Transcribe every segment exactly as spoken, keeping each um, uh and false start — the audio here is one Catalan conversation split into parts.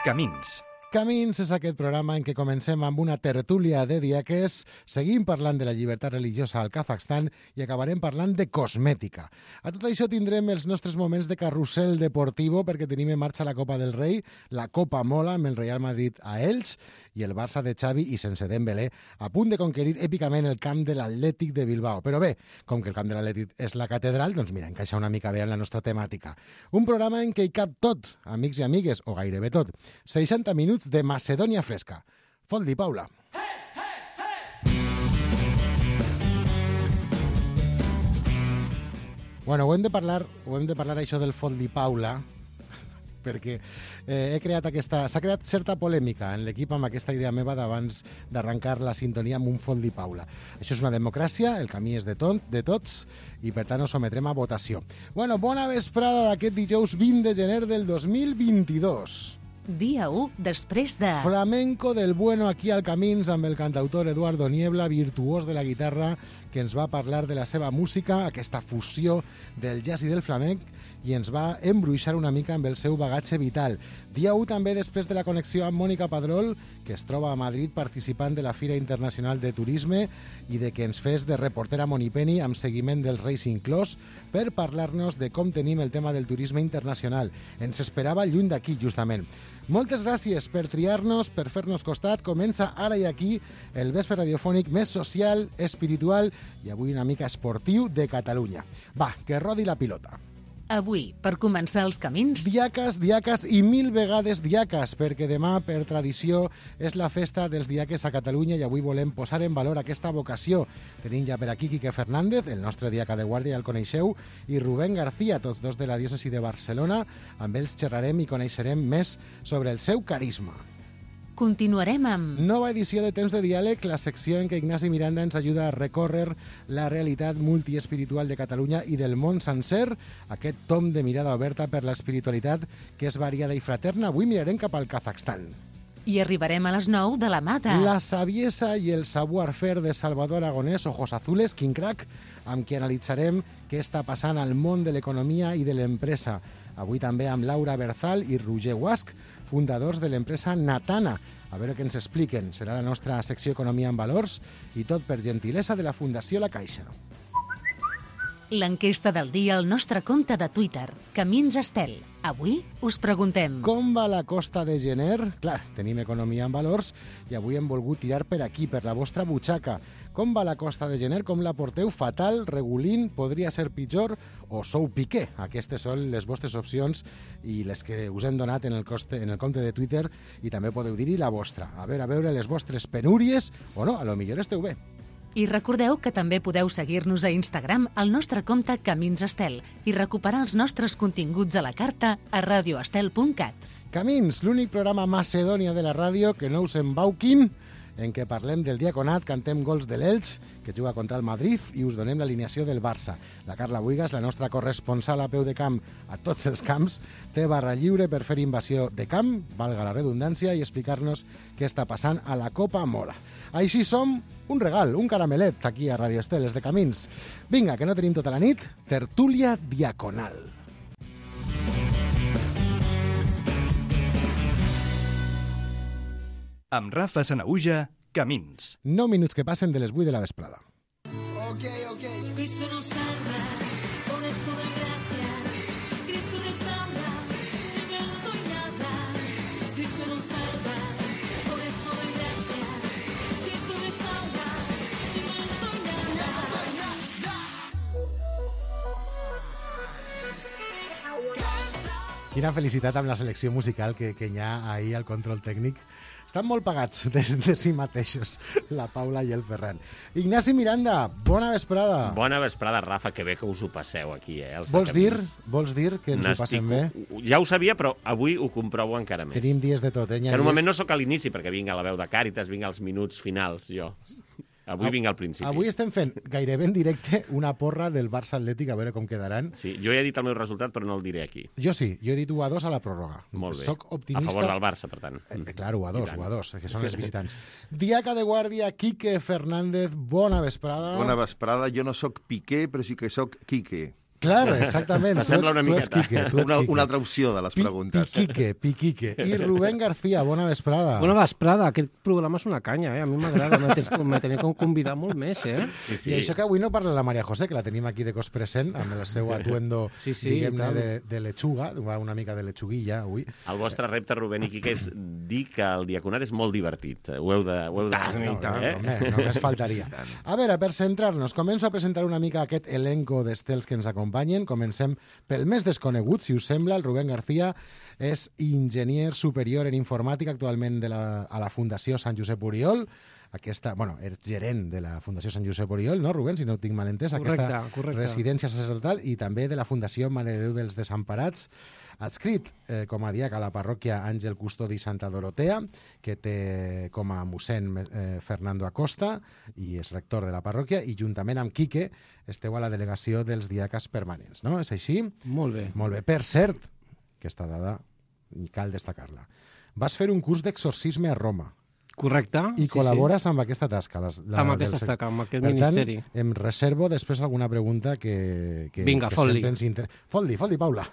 Camins. Camins és aquest programa en què comencem amb una tertúlia de diaques, seguim parlant de la llibertat religiosa al Kazakhstan i acabarem parlant de cosmètica. A tot això tindrem els nostres moments de carrusel deportivo perquè tenim en marxa la Copa del Rei, la Copa Mola amb el Real Madrid a Elx i el Barça de Xavi i sense Dembélé a punt de conquerir èpicament el camp de l'Atlètic de Bilbao. Però bé, com que el camp de l'Atlètic és la catedral, doncs mira, encaixa una mica bé en la nostra temàtica. Un programa en què hi cap tot, amics i amigues, o gairebé tot. seixanta minuts de Macedònia fresca. Foldi Paula. Hey, hey, hey! Bueno, ho hem de parlar, ho hem de parlar això del Foldi Paula, perquè eh, he creat aquesta... S'ha creat certa polèmica en l'equip amb aquesta idea meva d'abans d'arrencar la sintonia amb un Foldi Paula. Això és una democràcia, el camí és de, tot, de tots i per tant ho sometrem a votació. Bueno, bona vesprada d'aquest dijous vint de gener del dos mil vint-i-dos. Dia u després de... Flamenco del bueno aquí al Camins amb el cantautor Eduardo Niebla, virtuós de la guitarra, que ens va parlar de la seva música, aquesta fusió del jazz i del flamenc, i ens va embruixar una mica amb el seu bagatge vital. Dia u també després de la connexió amb Mònica Padrol, que es troba a Madrid participant de la Fira Internacional de Turisme i de que ens fes de reportera Monipeni amb seguiment del Racing Close per parlar-nos de com tenim el tema del turisme internacional. Ens esperava lluny d'aquí, justament. Moltes gràcies per triar-nos, per fer-nos costat. Comença ara i aquí el vespre radiofònic més social, espiritual i avui una mica esportiu de Catalunya. Va, que rodi la pilota. Avui, per començar els camins... Diaques, diaques i mil vegades diaques, perquè demà, per tradició, és la festa dels diaques a Catalunya i avui volem posar en valor aquesta vocació. Tenim ja per aquí Quique Fernández, el nostre diaca de guàrdia, ja el coneixeu, i Rubén García, tots dos de la diòcesi de Barcelona. Amb ells xerrarem i coneixerem més sobre el seu carisma. Continuarem amb... Nova edició de Temps de Diàleg, la secció en què Ignasi Miranda ens ajuda a recórrer la realitat multiespiritual de Catalunya i del món sencer, aquest tom de mirada oberta per l'espiritualitat que és variada i fraterna. Avui mirarem cap al Kazakhstan. I arribarem a les nou de la mà de... La saviesa i el savoir-faire de Salvador Aragonès, Ojos Azules, Quin Crac, amb qui analitzarem què està passant al món de l'economia i de l'empresa. Avui també amb Laura Berzal i Roger Guasch, fundadors de l'empresa Natana. A veure què ens expliquen. Serà la nostra secció Economia en Valors i tot per gentilesa de la Fundació La Caixa. L'enquesta del dia al nostre compte de Twitter, Camins Estel. Avui us preguntem... Com va la costa de gener? Clar, tenim Economia en Valors i avui hem volgut tirar per aquí, per la vostra butxaca. Com va la costa de gener? Com la porteu? Fatal, regulín, podria ser pitjor o sou piqué? Aquestes són les vostres opcions i les que us hem donat en el, coste, en el compte de Twitter i també podeu dir-hi la vostra. A veure, a veure les vostres penúries o no, a lo millor esteu bé. I recordeu que també podeu seguir-nos a Instagram al nostre compte Camins Estel i recuperar els nostres continguts a la carta a radioestel punt cat. Camins, l'únic programa Macedònia de la ràdio que no us embauquin, en què parlem del diaconat, cantem gols de l'Elx, que juga contra el Madrid, i us donem l'alineació del Barça. La Carla Buigas, la nostra corresponsal a peu de camp a tots els camps, té barra lliure per fer invasió de camp, valga la redundància, i explicar-nos què està passant a la Copa Mola. Així som un regal, un caramelet, aquí a Radio Estel, de Camins. Vinga, que no tenim tota la nit, tertúlia diaconal. Amb Rafa Sanahuja, Camins. nou minuts que passen de les vuit de la vesprada. Ok, ok. Cristo nos salva, por eso doy gracias. Cristo nos salva, sin Él no soy nada. Cristo nos salva, por eso doy gracias. Cristo nos salva, sin Él no soy nada. Quina felicitat amb la selecció musical que, que hi ha ahir al control tècnic. Estan molt pagats de, de si mateixos, la Paula i el Ferran. Ignasi Miranda, bona vesprada. Bona vesprada, Rafa, que bé que us ho passeu aquí, eh? Els Vols dir, vols dir que ens ho passem bé? Ja ho sabia, però avui ho comprovo encara més. Tenim dies de tot, eh? Que normalment no sóc a l'inici, perquè vinc a la veu de Càritas, vinc als minuts finals, jo. Avui vinc al principi. Avui estem fent gairebé en directe una porra del Barça Atlètic, a veure com quedaran. Sí, jo ja he dit el meu resultat, però no el diré aquí. Jo sí, jo he dit u a dos a la pròrroga. Molt bé. Soc optimista. A favor del Barça, per tant. Eh, clar, u a dos, u a dos, que són els visitants. Diaca de guàrdia, Quique Fernández, bona vesprada. Bona vesprada. Jo no sóc Piqué, però sí que sóc Quique. Claro, exactament. S'assembla una tu ets, tu ets miqueta. Quique, tu ets Una, Quique. una altra opció de les Pi- preguntes. Piquique, Piquique. I Rubén García, bona vesprada. Bona vesprada, aquest programa és una canya, eh? A mi m'agrada, me tens- me tenia com convidar molt més, eh? Sí, I això que avui no parla la Maria José, que la tenim aquí de cos present, amb el seu atuendo, Sí, sí, diguem-ne, tant. de, de lechuga, va una mica de lechuguilla avui. El vostre repte, Rubén i Quique, és dir que el diaconat és molt divertit. Ho heu de... Ho heu de... Tant, i No, tant. no, home, només faltaria. A veure, per centrar-nos, començo a presentar una mica aquest elenco d'estels que ens acompanyen. Comencem pel més desconegut, si us sembla. El Rubén García és enginyer superior en informàtica actualment de la, a la Fundació Sant Josep Oriol. Aquesta, bueno, és gerent de la Fundació Sant Josep Oriol, no, Rubén, si no ho tinc mal entès? Correcte, Aquesta correcte. residència sacerdotal i també de la Fundació Mare de Déu dels Desemparats, adscrit eh, com a diac a la parròquia Àngel Custodi Santa Dorotea, que té com a mossèn eh, Fernando Acosta i és rector de la parròquia, i juntament amb Quique esteu a la delegació dels diaques permanents, no? És així? Molt bé. Molt bé. Per cert, aquesta dada cal destacar-la. Vas fer un curs d'exorcisme a Roma Correcte. i sí, col·labores amb aquesta tasca. Les, Sí. Amb aquesta tasca, amb aquest per ministeri. tant, em reservo després alguna pregunta que, que, Vinga, que fot-li. sempre ens inter... Fot-li, fot-li, Paula.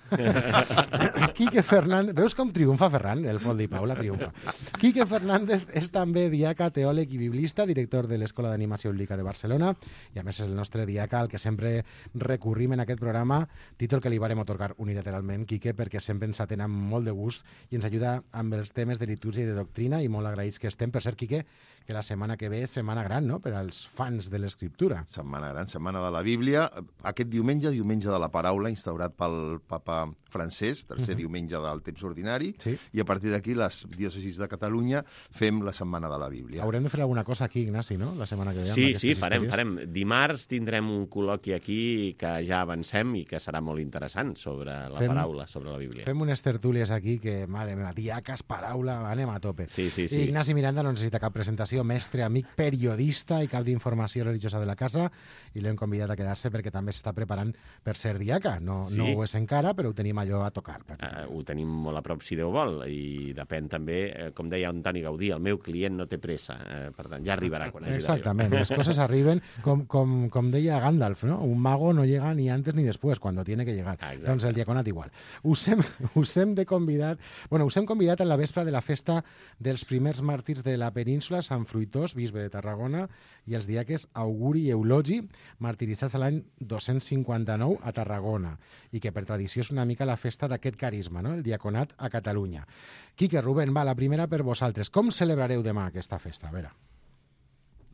Quique Fernández... Veus com triomfa Ferran? El fot-li, Paula, triomfa. Quique Fernández és també diaca, teòleg i biblista, director de l'Escola d'Animació Bíblica de Barcelona, i a més és el nostre diaca al que sempre recurrim en aquest programa, títol que li varem otorgar unilateralment, Quique, perquè sempre ens atén amb molt de gust i ens ajuda amb els temes de litúrgia i de doctrina, i molt agraïts que estem. Per cert, Quique, que la setmana que ve és setmana gran, no?, per als fans de l'escriptura. Setmana gran, setmana de la Bíblia. Aquest diumenge, diumenge de la paraula, instaurat pel papa Francesc, tercer uh -huh. diumenge del temps ordinari, Sí. i a partir d'aquí les diòcesis de Catalunya fem la setmana de la Bíblia. Haurem de fer alguna cosa aquí, Ignasi, no?, la setmana que ve. amb Sí, aquestes sí, farem, històries. farem. Dimarts tindrem un col·loqui aquí que ja avancem i que serà molt interessant sobre la Fem- paraula, sobre la Bíblia. Fem unes tertúlies aquí que, mare meva, diaques, paraula, anem a tope. Sí, sí, sí. I Ignasi Miranda no necessita cap presentació, mestre, amic, periodista i cap d'informació religiosa de la casa, i l'hem convidat a quedar-se perquè també s'està preparant per ser diaca. No, Sí. no ho és encara, però ho tenim allò a tocar. Uh, ho tenim molt a prop, si Déu vol, i depèn també, eh, com deia Antoni Gaudí, el meu client no té pressa, eh, per tant, ja arribarà quan hagi d'arribar. Exactament, les coses arriben, com, com, com deia Gandalf, no? Un mago no llega ni antes ni después, cuando tiene que llegar. Ah, exacte. Doncs el diaconat igual. Us hem, us hem de convidat, bueno, us hem convidat a la vespre de la festa dels primers màrtirs de la península, Sant Fruitós, bisbe de Tarragona, i els diaques Auguri i Eulogi, martiritzats a l'any dos-cents cinquanta-nou a Tarragona, i que per tradició és una mica la festa d'aquest carisma, no?, el diaconat a Catalunya. Quique, Rubén, va, la primera per vosaltres. Com celebrareu demà aquesta festa? A veure.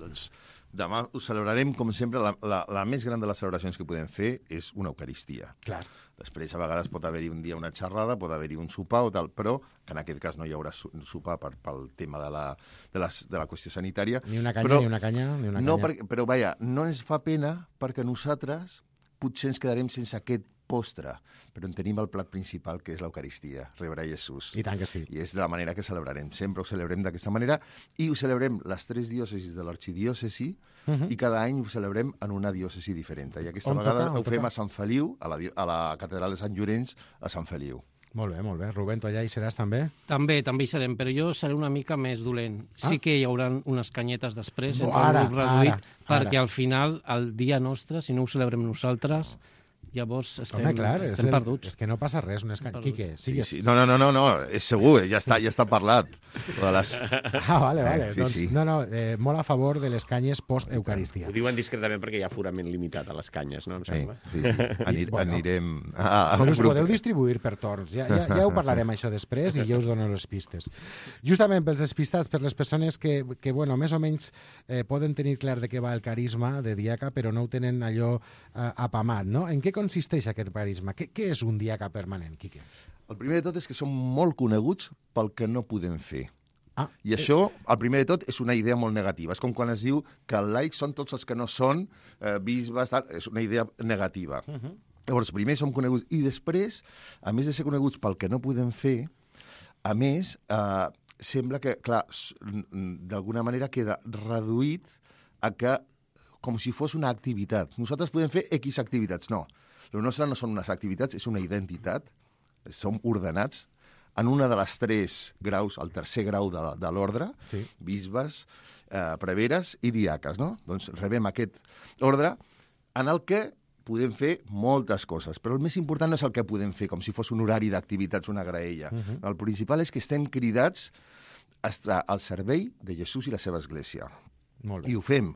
Doncs demà ho celebrarem, com sempre, la, la, la més gran de les celebracions que podem fer és una Eucaristia. Clar. Després, a vegades, pot haver-hi un dia una xerrada, pot haver-hi un sopar o tal, però que en aquest cas no hi haurà su- sopar per, pel tema de la, de, les, de la qüestió sanitària. Ni una canya, però, ni una canya, ni una no, canya. perquè, però, vaja, no ens fa pena perquè nosaltres potser ens quedarem sense aquest postre, però en tenim el plat principal, que és l'Eucaristia, rebre Jesús. I tant que sí. I és de la manera que celebrarem. Sempre ho celebrem d'aquesta manera i ho celebrem les tres diòcesis de l'arxidiòcesi Uh -huh. i cada any ho celebrem en una diòcesi diferent. I aquesta On vegada toca? On ho fem toca? a Sant Feliu, a la, di- a la catedral de Sant Llorenç, a Sant Feliu. Molt bé, molt bé. Rubén, tu allà hi seràs també? També, també hi serem, però jo seré una mica més dolent. Ah. Sí que hi haurà unes canyetes després, No, entre un ara, grup reduït, ara, perquè ara. al final, el dia nostre, si no ho celebrem nosaltres, llavors estem, Home, clar, és, estem el, perduts. és que no passa res. No és que... Perduts. Quique, Sí, sigues... sí. No, no, no, no, no, és segur, ja està, ja està parlat. De les... Ah, vale, vale. Eh, sí, doncs, sí. No, no, eh, molt a favor de les canyes post-Eucaristia. Ho diuen discretament perquè hi ha forament limitat a les canyes, no? Em Sí, sembla. sí, sí. Anir, Bueno. anirem a, a Però un us grup. podeu distribuir per torns. Ja, ja, ja ho parlarem, això, després, i ja us dono les pistes. Justament pels despistats, per les persones que, que bueno, més o menys eh, poden tenir clar de què va el carisma de diaca, però no ho tenen allò eh, apamat, no? En què consisteix aquest carisma? Què, què és un diaca permanent, Quique? El primer de tot és que som molt coneguts pel que no podem fer. Ah, I això, el primer de tot, és una idea molt negativa. És com quan es diu que els laics són tots els que no són eh, bisbes, tal. És una idea negativa. Uh -huh. Llavors, primer som coneguts. I després, a més de ser coneguts pel que no podem fer, a més, eh, sembla que, clar, s- n- d'alguna manera queda reduït a que, com si fos una activitat. Nosaltres podem fer X activitats. No. El nostre no són unes activitats, és una identitat. Som ordenats en una de les tres graus, el tercer grau de, de l'ordre, Sí. bisbes, eh, preveres i diaques, no? Doncs rebem aquest ordre en el que podem fer moltes coses, però el més important no és el que podem fer, com si fos un horari d'activitats, una graella. Uh -huh. El principal és que estem cridats a estar al servei de Jesús i la seva església. Molt bé. I ho fem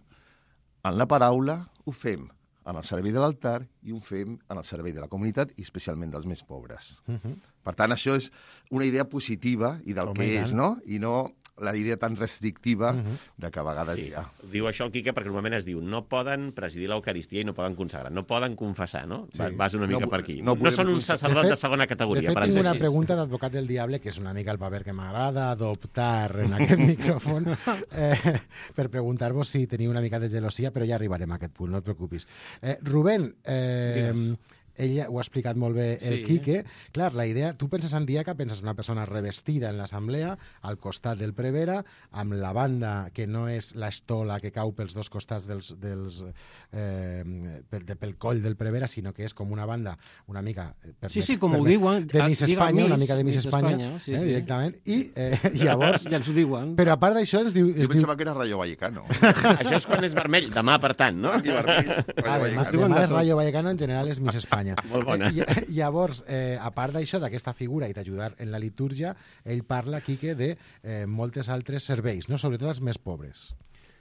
en la paraula, ho fem en el servei de l'altar i ho fem en el servei de la comunitat i especialment dels més pobres. Uh -huh. Per tant, això és una idea positiva i del Home, que i és, tant. no? I no la idea tan restrictiva uh -huh. de que a vegades Sí. hi ha... Diu això el Quique perquè normalment es diu no poden presidir l'Eucaristia i no poden consagrar, no poden confessar, no? Sí. Va- Vas una mica No- per aquí. no No, podem són un consagrar. sacerdot De de, fet- segona categoria, De fet, per tinc exemple. una pregunta d'advocat del diable, que és una mica el paper que m'agrada adoptar en aquest micròfon, eh, per preguntar-vos si teniu una mica de gelosia, però ja arribarem a aquest punt, no et preocupis. Eh, Rubén, eh, Digues. ella ho ha explicat molt bé el Sí. Quique. Clar, la idea, tu penses en Diaca, penses en una persona revestida en l'assemblea, al costat del prevere, amb la banda que no és l'estola que cau pels dos costats dels, dels, eh, pel, de, pel coll del prevere, sinó que és com una banda una mica... eh, Sí, sí, permet- com ho permet- diuen. de Miss Digue Espanya, una Miss, mica de Miss, Miss Espanya, Espanya, sí, eh, sí. directament. I eh, llavors... Ja ens ho diuen. Però a part d'això ens diu... Jo Es diu pensava que era Rayo Vallecano. Això és quan és vermell, demà, per tant, no? I vermell, Rayo Ah, demà, Vallecano. diuen demà de és tot. Rayo Vallecano, en general és Miss Espanya. Molt bona. Eh, ll- llavors, eh, a part d'això, d'aquesta figura i d'ajudar en la litúrgia, ell parla, Quique, de eh, moltes altres serveis, no? Sobretot els més pobres.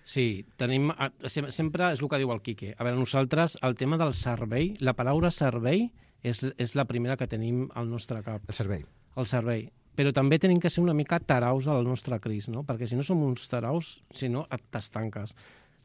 Sí, tenim, a- sem- sempre és el que diu el Quique. A veure, nosaltres, el tema del servei, la paraula servei és, és la primera que tenim al nostre cap, El servei. el servei. Però també tenim que ser una mica taraus al nostre Crist, no? Perquè si no som uns taraus, si no, et t'estanques.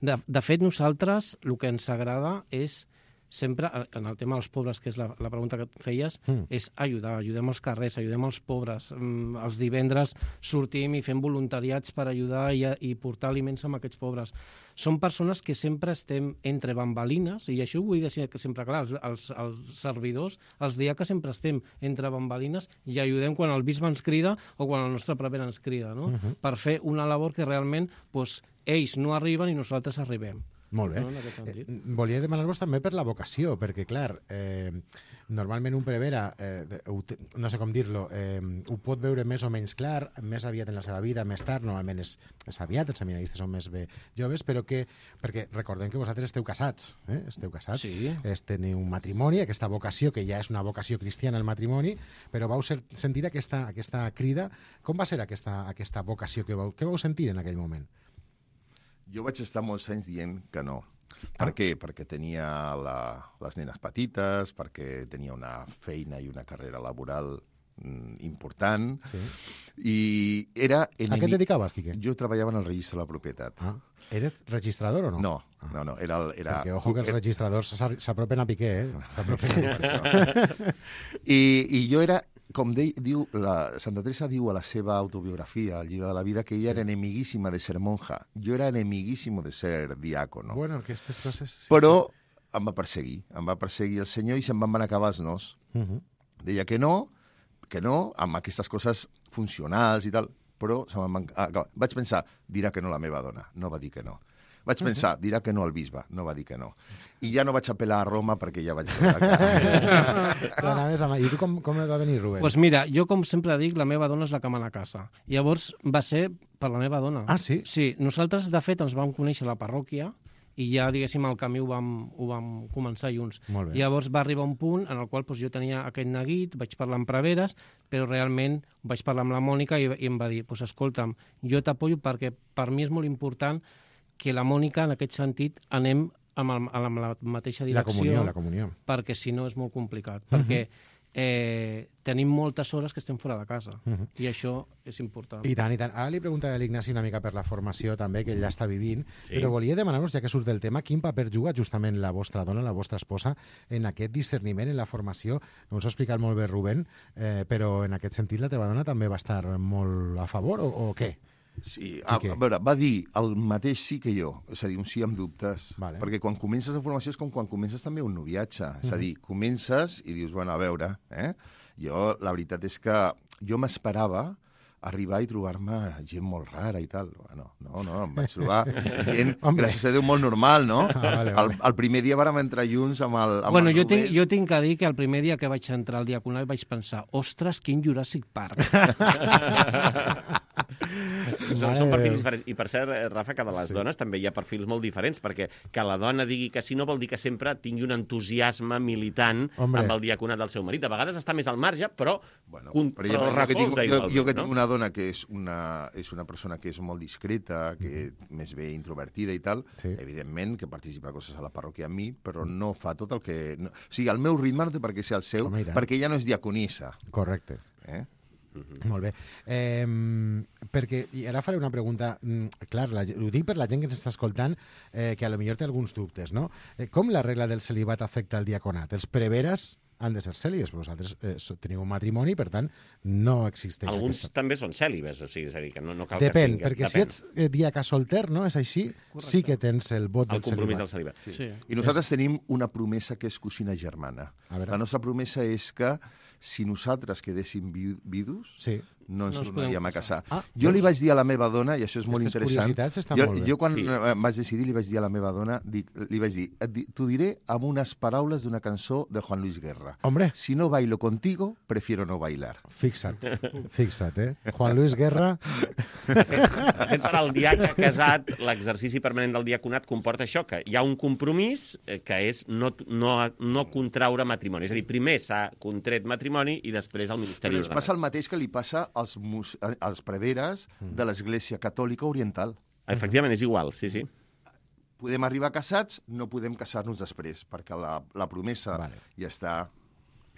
De, de fet, nosaltres, el que ens agrada és sempre, en el tema dels pobres, que és la, la pregunta que et feies, Mm. és ajudar, ajudem els carrers, ajudem els pobres. Mm, Els divendres sortim i fem voluntariats per ajudar i, i portar aliments a aquests pobres. Són persones que sempre estem entre bambalines, i això ho vull dir sempre clar, els, els, els servidors, els diaques sempre estem entre bambalines i ajudem quan el bisbe ens crida o quan el nostre prevere ens crida, no? Uh-huh. Per fer una labor que realment doncs, ells no arriben i nosaltres arribem. Molt bé. No, en aquest sentit. Eh, volia demanar-vos també per la vocació, perquè, clar, eh, normalment un prevere, eh, de- ho té- no sé com dir-lo, eh, ho pot veure més o menys clar, més aviat en la seva vida, més tard, normalment és, és aviat, els seminaristes són més bé joves, però que, perquè recordem que vosaltres esteu casats, eh? esteu casats, Sí. es, teniu un matrimoni, aquesta vocació, que ja és una vocació cristiana el matrimoni, però vau ser, sentir aquesta, aquesta crida. Com va ser aquesta, aquesta vocació que vau, que vau sentir en aquell moment? Jo vaig estar molts anys dient que no. Per Ah. què? Perquè tenia la, les nenes petites, perquè tenia una feina i una carrera laboral mm, important, Sí. i era... A què et enemic- dedicaves, Quique? Jo treballava en el registre de la propietat. Ah, eres registrador o no? No, no, no, era... el- era Perquè, ojo, que els registradors s'ar- s'apropen a Piqué, eh? S'apropen. I, I jo era, com de, diu, la, Santa Teresa diu a la seva autobiografia, al llibre de la vida, que ella era enemiguíssima de ser monja. Jo era enemiguíssimo de ser diácono. Bueno, aquestes coses... Sí, Però em va perseguir, em va perseguir el senyor i se'n van acabar els nos. Sí. Uh -huh. Deia que no, que no, amb aquestes coses funcionals i tal, però se me'n van acabar. Vaig pensar, dirà que no la meva dona, no va dir que no. Vaig pensar, dirà que no el bisbe, no va dir que no. I ja no vaig apel·lar a Roma perquè ja vaig veure que... Però anaves amb... I tu com, com va venir, Rubén? Doncs pues mira, jo com sempre dic, la meva dona és la que mana a casa. Llavors va ser per la meva dona. Ah, sí? Sí, nosaltres de fet ens vam conèixer a la parròquia i ja, diguéssim, el camí ho vam, ho vam començar junts. Molt bé. Llavors va arribar un punt en el qual doncs, jo tenia aquest neguit, vaig parlar amb preveres, però realment vaig parlar amb la Mònica i, i em va dir, doncs, escolta'm, jo t'apoyo perquè per mi és molt important que la Mònica, en aquest sentit, anem amb, el, amb la mateixa La direcció, comunió, la comunió. perquè si no és molt complicat, perquè eh, tenim moltes hores que estem fora de casa, Uh -huh. i això és important. I tant, i tant. Ara li preguntaré a l'Ignasi una mica per la formació també, que ell ja està vivint, Sí. però volia demanar-vos, ja que surt del tema, quin paper juga justament la vostra dona, la vostra esposa, en aquest discerniment, en la formació. No us ho ha explicat molt bé Rubén, eh, però en aquest sentit la teva dona també va estar molt a favor, o, o què? Sí, a, què? a veure, va dir el mateix sí que jo, és a dir, un sí amb dubtes. Vale. Perquè quan comences la formació és com quan comences també un noviatge. És a dir, comences i dius, bueno, a veure, eh? Jo, la veritat és que jo m'esperava arribar i trobar-me gent molt rara i tal. Bueno, no, no, em vaig trobar gent, Hombre. gràcies a Déu, molt normal, no? Ah, vale, vale. El, el primer dia vàrem entrar junts amb el, amb Bueno, el jo Rubén. tinc, jo tinc que dir que el primer dia que vaig entrar al diaconat vaig pensar, ostres, quin Jurassic Park. són, Mare són de perfils Déu. diferents. I per cert, eh, Rafa, que de les Sí. dones també hi ha perfils molt diferents, perquè que la dona digui que sí no vol dir que sempre tingui un entusiasme militant Hombre. amb el diaconat del seu marit. A vegades està més al marge, però, Bueno, con, però però jo, jo, que tinc, recolza jo, igualment, jo que no? tinc una dona que és una, és una persona que és molt discreta, que més bé introvertida i tal, Sí. evidentment que participa a coses a la parròquia amb mi, però no fa tot el que... No... O sigui, el meu ritme no té per què ser el seu, Home, i tant. perquè ella no és diaconissa. Correcte. Eh? Molt bé. Eh, perquè, i ara faré una pregunta, mm, clar, la, ho dic per la gent que ens està escoltant, eh, que a lo millor té alguns dubtes, no? Eh, com la regla del celibat afecta el diaconat? Els preveres han de ser cèlibes, però vosaltres eh, so- teniu un matrimoni, per tant, no existeix Alguns aquesta... també són cèlibes, o sigui, és a dir, que no, no cal Depèn, que perquè estigues... si ets eh, diaca solter, no? És així, Correcte. sí que tens el vot El del compromís celibat. del celibat. Sí. sí. I nosaltres tenim una promesa que és cosina germana. A veure. La nostra promesa és que si nosaltres quedéssim vi vidus, Sí. no ens No ens tornaríem podem a casar. Ah, jo li veus? vaig dir a la meva dona, i això és molt Aquestes interessant... curiositats estan jo, molt bé. jo quan Sí. eh, vaig decidir, li vaig dir a la meva dona, dic, li vaig dir, et di- t'ho diré amb unes paraules d'una cançó de Juan Luis Guerra. Hombre, Si no bailo contigo, prefiero no bailar. fixa't, fixa't, eh? Juan Luis Guerra, De fet, per al diaca casat, l'exercici permanent del diaconat comporta això, que hi ha un compromís eh, que és no, no, no contraure matrimoni. És a dir, primer s'ha contret matrimoni i després el ministeri Però ens passa ordenat. el mateix que li passa als, mus als preveres de l'Església Catòlica Oriental. Efectivament, és igual, sí, sí. Podem arribar casats, no podem casar-nos després, perquè la, la promesa Vale. ja està...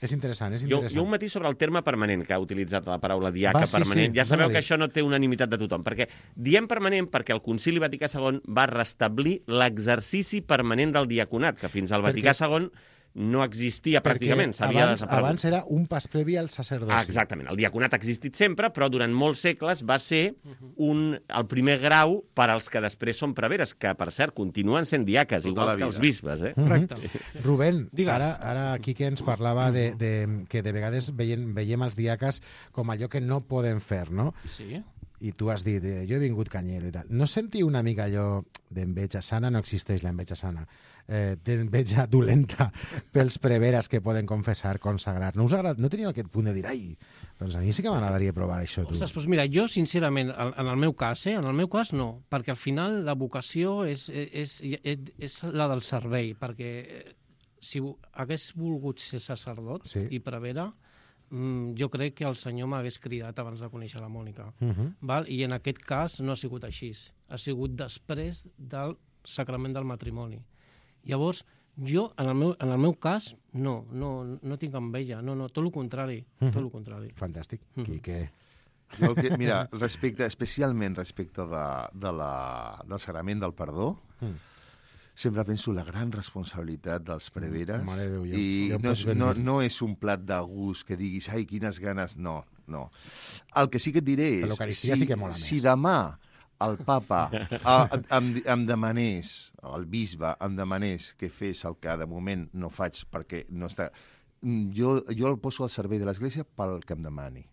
és interessant, és Jo, interessant. jo un matís sobre el terme permanent, que ha utilitzat la paraula diaca Va, sí, permanent. sí, ja sabeu dóna-li. que això no té unanimitat de tothom, perquè diem permanent perquè el Concili Vaticà segon va restablir l'exercici permanent del diaconat, que fins al Vaticà segon no existia pràcticament, s'havia abans, desaparegut. abans era un pas previ al sacerdoci. Ah, exactament. El diaconat ha existit sempre, però durant molts segles va ser un, el primer grau per als que després són preveres, que, per cert, continuen sent diaques, Tota igual la que els vida. bisbes, eh? Correcte. Rubén, Digues. ara, ara aquí que ens parlava de, de, que de vegades veiem, veiem els diaques com allò que no poden fer, no? Sí. I tu has dit, eh, jo he vingut canyero i tal. No sentiu una mica allò d'enveja sana? No existeix l'enveja sana. Eh, d'enveja dolenta pels preveres que poden confessar, consagrar. No us agrada, no teniu aquest punt de dir, ai, doncs a mi sí que m'agradaria provar això, tu. Ostres, doncs mira, jo, sincerament, en en el meu cas, eh, en el meu cas no, perquè al final la vocació és, és, és, és la del servei, perquè eh, si hagués volgut ser sacerdot Sí. i prevere, mm, jo crec que el senyor m'hagués cridat abans de conèixer la Mònica. Uh -huh. Val? I en aquest cas no ha sigut així. Ha sigut després del sacrament del matrimoni. Llavors, jo, en el meu, en el meu cas, no, no, no tinc enveja, no, no, tot el contrari, tot el contrari. Fantàstic. Mhm. Quique. Jo el que, mira, respecte, especialment respecte de, de la, del sagrament del perdó, Mm. sempre penso la gran responsabilitat dels preveres. Mare de Déu, jo- I jo em no, pots és, ben no, dir. no és un plat de gust que diguis, ai, quines ganes, no, no. El que sí que et diré és... L'Eucaristia sí que mola més. Si demà el papa a, em, em demanés, el bisbe em demanés que fes el que de moment no faig perquè no està... Jo, jo el poso al servei de l'Església pel que em demani.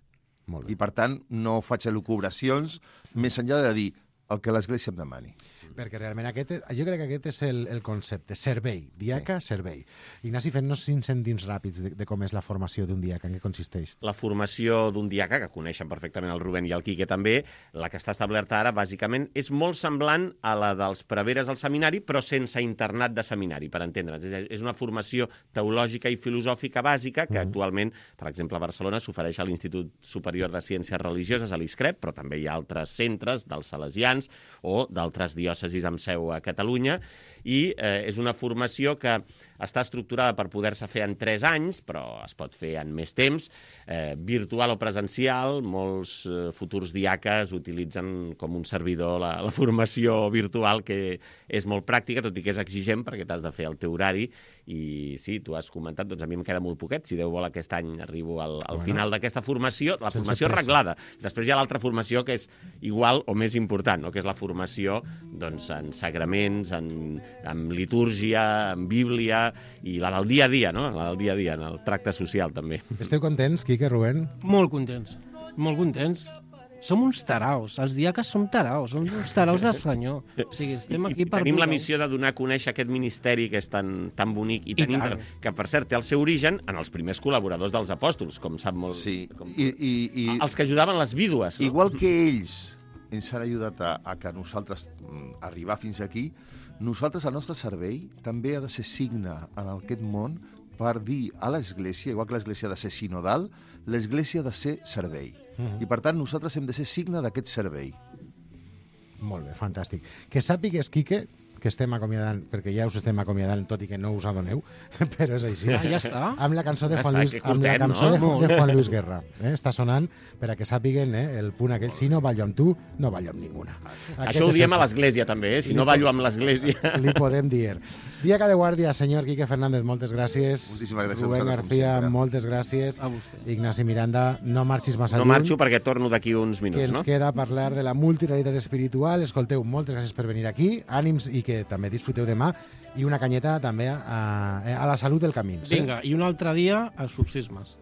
Molt bé. I, per tant, no faig elucubracions més enllà de dir el que l'Església em demani. Perquè realment aquest, és- jo crec que aquest és el, el concepte, servei, diaca, sí. servei. Ignasi, fent-nos cinc cèntims ràpids de, de com és la formació d'un diaca, en què consisteix? La formació d'un diaca, que coneixen perfectament el Rubén i el Quique també, la que està establerta ara, bàsicament, és molt semblant a la dels preveres al seminari, però sense internat de seminari, per entendre'ns. És, és una formació teològica i filosòfica bàsica que mm. actualment, per exemple, a Barcelona s'ofereix a l'Institut Superior de Ciències Religioses, a l'ISCREP, però també hi ha altres centres dels salesians o d'altres diòcesis amb seu a Catalunya, i eh, és una formació que està estructurada per poder-se fer en tres anys, però es pot fer en més temps, eh, virtual o presencial. Molts eh, futurs diaques utilitzen com un servidor la, la formació virtual, que és molt pràctica, tot i que és exigent, perquè t'has de fer el teu horari. I sí, tu has comentat, doncs a mi em queda molt poquet. Si Déu vol, aquest any arribo al, al Bueno. final d'aquesta formació, la Sense formació pressa. reglada. Després hi ha l'altra formació que és igual o més important, no? Que és la formació doncs, en sagraments, en, en litúrgia, en bíblia, i la del dia a dia, no? La del dia a dia, en el tracte social, també. Esteu contents, Quique, Rubén? Molt contents, molt contents. Som uns taraus, els diaques som taraus, som uns taraus del senyor. O sigui, estem aquí I per... tenim la voler- missió de donar a conèixer aquest ministeri que és tan, tan bonic i I tan tant. inter... que, per cert, té el seu origen en els primers col·laboradors dels apòstols, com sap molt... Sí, Com... i, i, i Els que ajudaven les vídues. No? igual que ells ens han ajudat a, a que nosaltres mm, arribar fins aquí. Nosaltres, el nostre servei, també ha de ser signe en aquest món per dir a l'Església, igual que l'Església ha de ser sinodal, l'Església ha de ser servei. Uh-huh. I, per tant, nosaltres hem de ser signe d'aquest servei. Molt bé, fantàstic. Que sàpigues, Quique, que estem acomiadant, perquè ja us estem acomiadant, tot i que no us adoneu, però és així. Ah, ja està. Amb la cançó de Ja Juan està, Luis, que amb la curtet, cançó no? de, de Juan Luis Guerra. Eh? Està sonant per a que sàpiguen eh, el punt aquell, si no ballo amb tu, no ballo amb ninguna. Aquest Això ho és diem el- a l'Església, també, eh? Si no ballo amb l'Església... Li podem dir. Diaca de guàrdia, senyor Quique Fernández, moltes gràcies. Moltíssimes gràcies a Rubén vosaltres, com García, sempre. moltes gràcies. A vostè. Ignasi Miranda, no marxis massa No lluny, marxo perquè torno d'aquí uns que minuts, ens no? queda parlar de la multirealitat espiritual. Escolteu, moltes gràcies per venir aquí. Ànims i que també disfruteu demà. I una canyeta també a, a la salut del camí. Sí? Vinga, i un altre dia, exorcismes.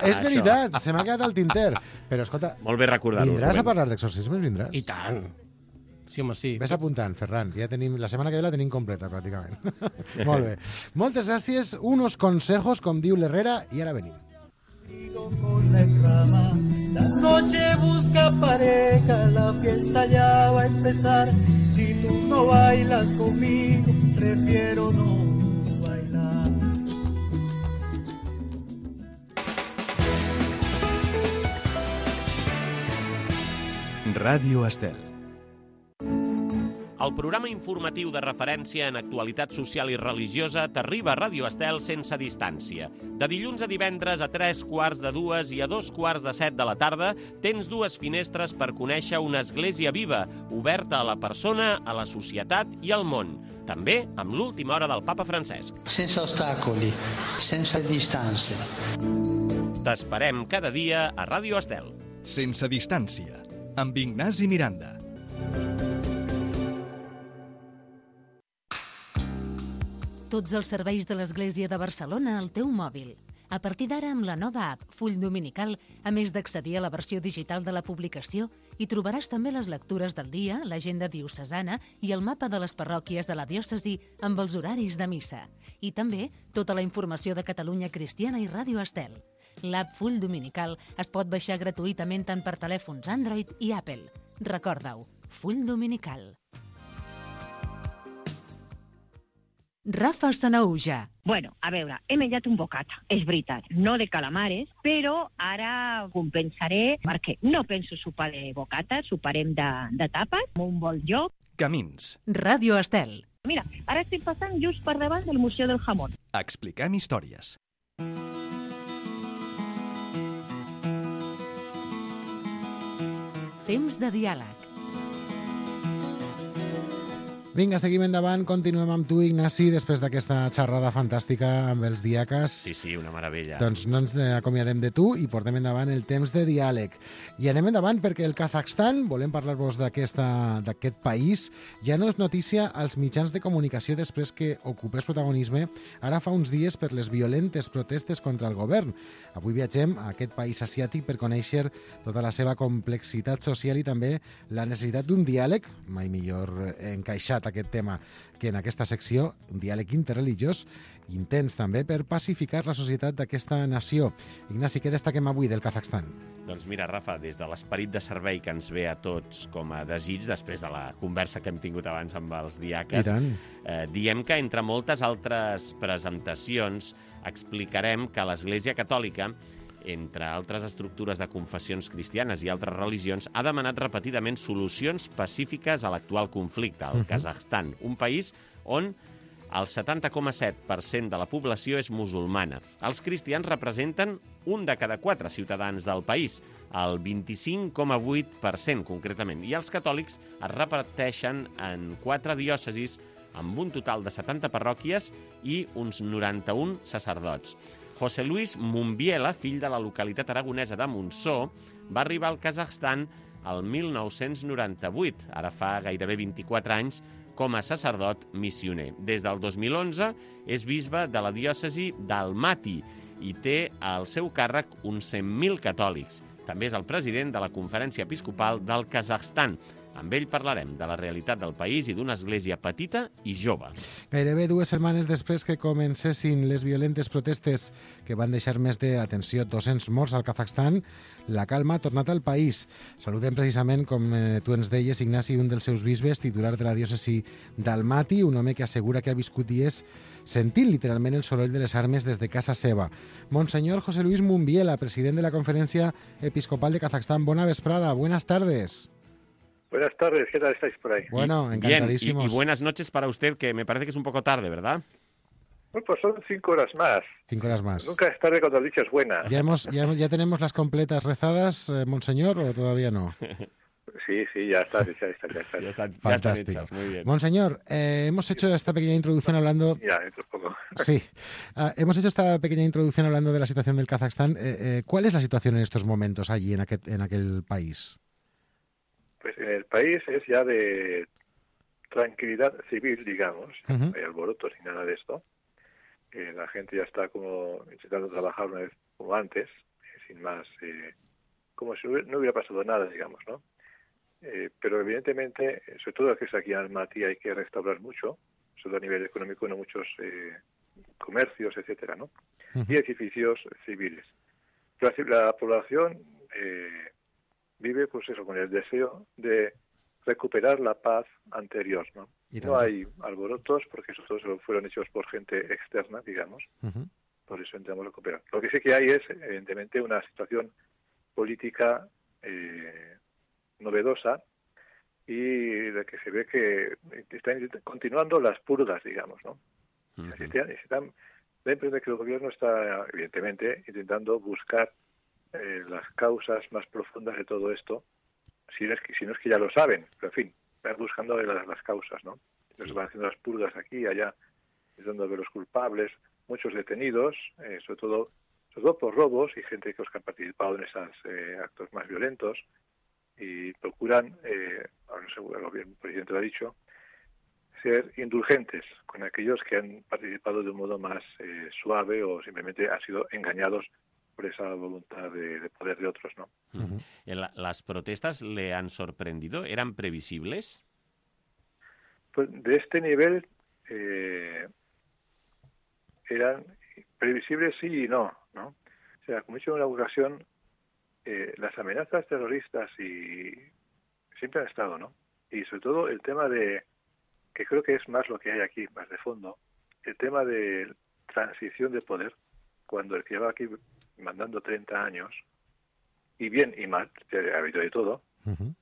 És veritat, se m'ha quedat al tinter. Però, escolta, Molt bé recordar-ho, vindràs a Rubén. parlar d'exorcismes? Vindràs? I tant. Sí, home, sí. Ves apuntant, Ferran, que ja tenim, la setmana que ve la tenim completa, pràcticament. Molt bé. Moltes gràcies. Unos consejos, com diu l'Herrera, i ara venim. Con la rama, la noche busca pareja, la fiesta ya va a empezar. Si tú no bailas conmigo, prefiero no bailar. Ràdio Estel. El programa informatiu de referència en actualitat social i religiosa t'arriba a Ràdio Estel sense distància. De dilluns a divendres a tres quarts de dues i a dos quarts de set de la tarda tens dues finestres per conèixer una església viva, oberta a la persona, a la societat i al món. També amb l'última hora del papa Francesc. Senza ostacoli, senza distanze. T'esperem cada dia a Ràdio Estel. Sense distància, amb Ignasi Miranda. Tots els serveis de l'Església de Barcelona al teu mòbil. A partir d'ara, amb la nova app Full Dominical, a més d'accedir a la versió digital de la publicació, hi trobaràs també les lectures del dia, l'agenda diocesana i el mapa de les parròquies de la diòcesi amb els horaris de missa. I també tota la informació de Catalunya Cristiana i Ràdio Estel. L'app Full Dominical es pot baixar gratuïtament tant per telèfons Android i Apple. Recorda-ho, Full Dominical. Rafa Sanaúja. Bueno, a veure, he menjat un bocata, és veritat, no de calamares, però ara compensaré perquè no penso sopar de bocata, soparem de, de tapes, amb un bon lloc. Camins. Ràdio Estel. Mira, ara estic passant just per davant del Museu del Jamón. Expliquem històries. Temps de diàleg. Vinga, seguim endavant, continuem amb tu, Ignasi, després d'aquesta xerrada fantàstica amb els diaques. Sí, sí, una meravella. Doncs no ens acomiadem de tu i portem endavant el temps de diàleg. I anem endavant perquè el Kazakhstan, volem parlar-vos d'aquest país, ja no és notícia als mitjans de comunicació després que ocupés protagonisme ara fa uns dies per les violentes protestes contra el govern. Avui viatgem a aquest país asiàtic per conèixer tota la seva complexitat social i també la necessitat d'un diàleg, mai millor encaixat aquest tema que en aquesta secció, un diàleg interreligiós intens també per pacificar la societat d'aquesta nació. Ignasi, què destaquem avui del Kazakhstan? Doncs mira, Rafa, des de l'esperit de servei que ens ve a tots com a desig, després de la conversa que hem tingut abans amb els diaques, I tant. eh, diem que entre moltes altres presentacions explicarem que l'Església Catòlica, entre altres estructures de confessions cristianes i altres religions, ha demanat repetidament solucions pacífiques a l'actual conflicte, al Mhm. Kazakhstan, un país on el setanta coma set per cent de la població és musulmana. Els cristians representen un de cada quatre ciutadans del país, el vint-i-cinc coma vuit per cent concretament, i els catòlics es reparteixen en quatre diòcesis amb un total de setanta parròquies i uns noranta-un sacerdots. José Luis Mumbiela, fill de la localitat aragonesa de Montsó, va arribar al Kazakhstan el mil nou-cents noranta-vuit, ara fa gairebé vint-i-quatre anys, com a sacerdot missioner. Des del dos mil onze és bisbe de la diòcesi d'Almaty i té al seu càrrec uns cent mil catòlics. També és el president de la Conferència Episcopal del Kazakhstan. Amb ell parlarem de la realitat del país i d'una església petita i jove. Gairebé dues setmanes després que comencessin les violentes protestes que van deixar més de, atenció, dos-cents morts al Kazakhstan, la calma ha tornat al país. Saludem precisament, com eh, tu ens deies, Ignasi, un dels seus bisbes, titular de la diòcesi d'Almaty, un home que assegura que ha viscut dies sentint literalment el soroll de les armes des de casa seva. Monseñor José Luis Mumbiela, president de la Conferencia Episcopal de Kazajstán. Buena vesprada, buenas tardes. Buenas tardes, ¿qué tal estáis por ahí? Bueno, encantadísimos. Bien, y, y buenas noches para usted, que me parece que es un poco tarde, ¿verdad? Bueno, pues son cinco horas más. Cinco horas más. Nunca es tarde cuando el dicho es buena. ¿Ya, hemos, ya, hemos- ya tenemos las completas rezadas, eh, Monseñor, o todavía no? Sí, sí, ya está, ya está, ya está. Ya están, ya están Fantástico. hechas, muy bien. Monseñor, eh, hemos hecho esta pequeña introducción hablando... Ya, dentro de poco. Sí, Ah, hemos hecho esta pequeña introducción hablando de la situación del Kazajstán. Eh, eh, ¿Cuál es la situación en estos momentos allí, en aquel, en aquel país? Pues en el país es ya de tranquilidad civil, digamos. Ujú. No hay alborotos ni nada de esto. Eh, la gente ya está como intentando trabajar una vez como antes, eh, sin más, eh, como si no hubiera, no hubiera pasado nada, digamos, ¿no? Eh, pero evidentemente, eh, sobre todo que es aquí en Almaty, hay que restaurar mucho, sobre todo a nivel económico, no muchos eh, comercios, etcétera, ¿no? Ujú. Y edificios civiles. La, la población eh, vive, pues eso, con el deseo de recuperar la paz anterior, ¿no? Y No tanto. hay alborotos porque esos todos fueron hechos por gente externa, digamos, Ujú. por eso intentamos recuperar. Lo que sí que hay es, evidentemente, una situación política eh, novedosa y de que se ve que están continuando las purgas, digamos, ¿no? Ujú. Así están, están, da la impresión de que el gobierno está, evidentemente, intentando buscar eh, las causas más profundas de todo esto, si no es que, si no es que ya lo saben, pero en fin, van buscando las, las causas, ¿no? Entonces van haciendo las purgas aquí, allá, intentando ver los culpables, muchos detenidos, eh, sobre todo sobre todo por robos y gente que, os que han participado en esos eh, actos más violentos, y procuran, eh, ahora no sé, el gobierno, el presidente lo ha dicho, ser indulgentes con aquellos que han participado de un modo más eh, suave o simplemente han sido engañados por esa voluntad de, de poder de otros, ¿no? Ujú. La- ¿Las protestas le han sorprendido? ¿Eran previsibles? Pues de este nivel eh, eran previsibles sí y no, ¿no? O sea, como he dicho en una ocasión, eh, las amenazas terroristas y siempre han estado, ¿no? Y sobre todo el tema de, que creo que es más lo que hay aquí, más de fondo, el tema de transición de poder, cuando el que lleva aquí mandando treinta años, y bien y mal, ha habido de todo, Ujú.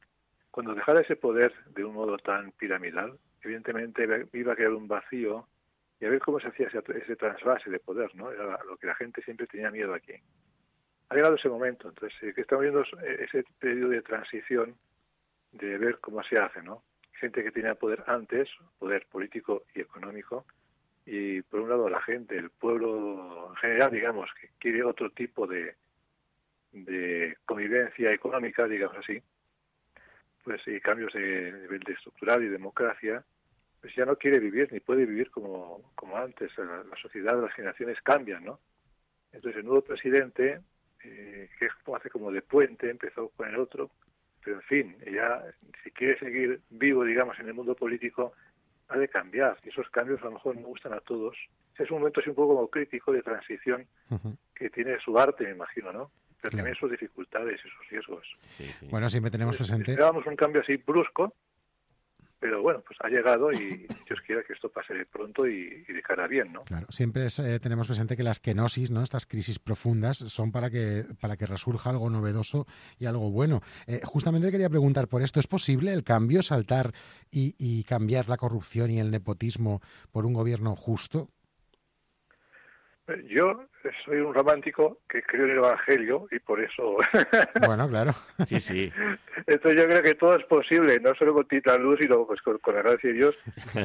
cuando dejara ese poder de un modo tan piramidal, evidentemente iba a quedar un vacío y a ver cómo se hacía ese, ese trasvase de poder, ¿no? Era lo que la gente siempre tenía miedo aquí. Ha llegado ese momento, entonces, eh, que estamos viendo ese periodo de transición de ver cómo se hace, ¿no? Gente que tenía poder antes, poder político y económico, y por un lado la gente, el pueblo en general, digamos, que quiere otro tipo de, de convivencia económica, digamos así, pues y cambios de nivel de estructural y democracia, pues ya no quiere vivir ni puede vivir como, como antes. La, la sociedad, las generaciones cambian, ¿no? Entonces el nuevo presidente, eh, que es como hace como de puente, empezó con el otro, pero en fin, ya si quiere seguir vivo, digamos, en el mundo político, ha de cambiar. Y esos cambios a lo mejor no gustan a todos. Es un momento así un poco como crítico de transición Ujú. que tiene su arte, me imagino, ¿no? Pero Claro. también sus dificultades y sus riesgos. Sí, sí. Bueno, siempre tenemos presente... Esperábamos un cambio así brusco, pero bueno, pues ha llegado y Dios quiera que esto pase pronto y, y de cara a bien, ¿no? Claro, siempre es, eh, tenemos presente que las kenosis, ¿no? Estas crisis profundas, son para que para que resurja algo novedoso y algo bueno. Eh, justamente quería preguntar por esto, ¿es posible el cambio, saltar y, y cambiar la corrupción y el nepotismo por un gobierno justo? Yo soy un romántico que creo en el Evangelio y por eso... Bueno, claro. Sí, sí. Entonces yo creo que todo es posible, no solo con Titán Luz, sino pues con, con la gracia de Dios,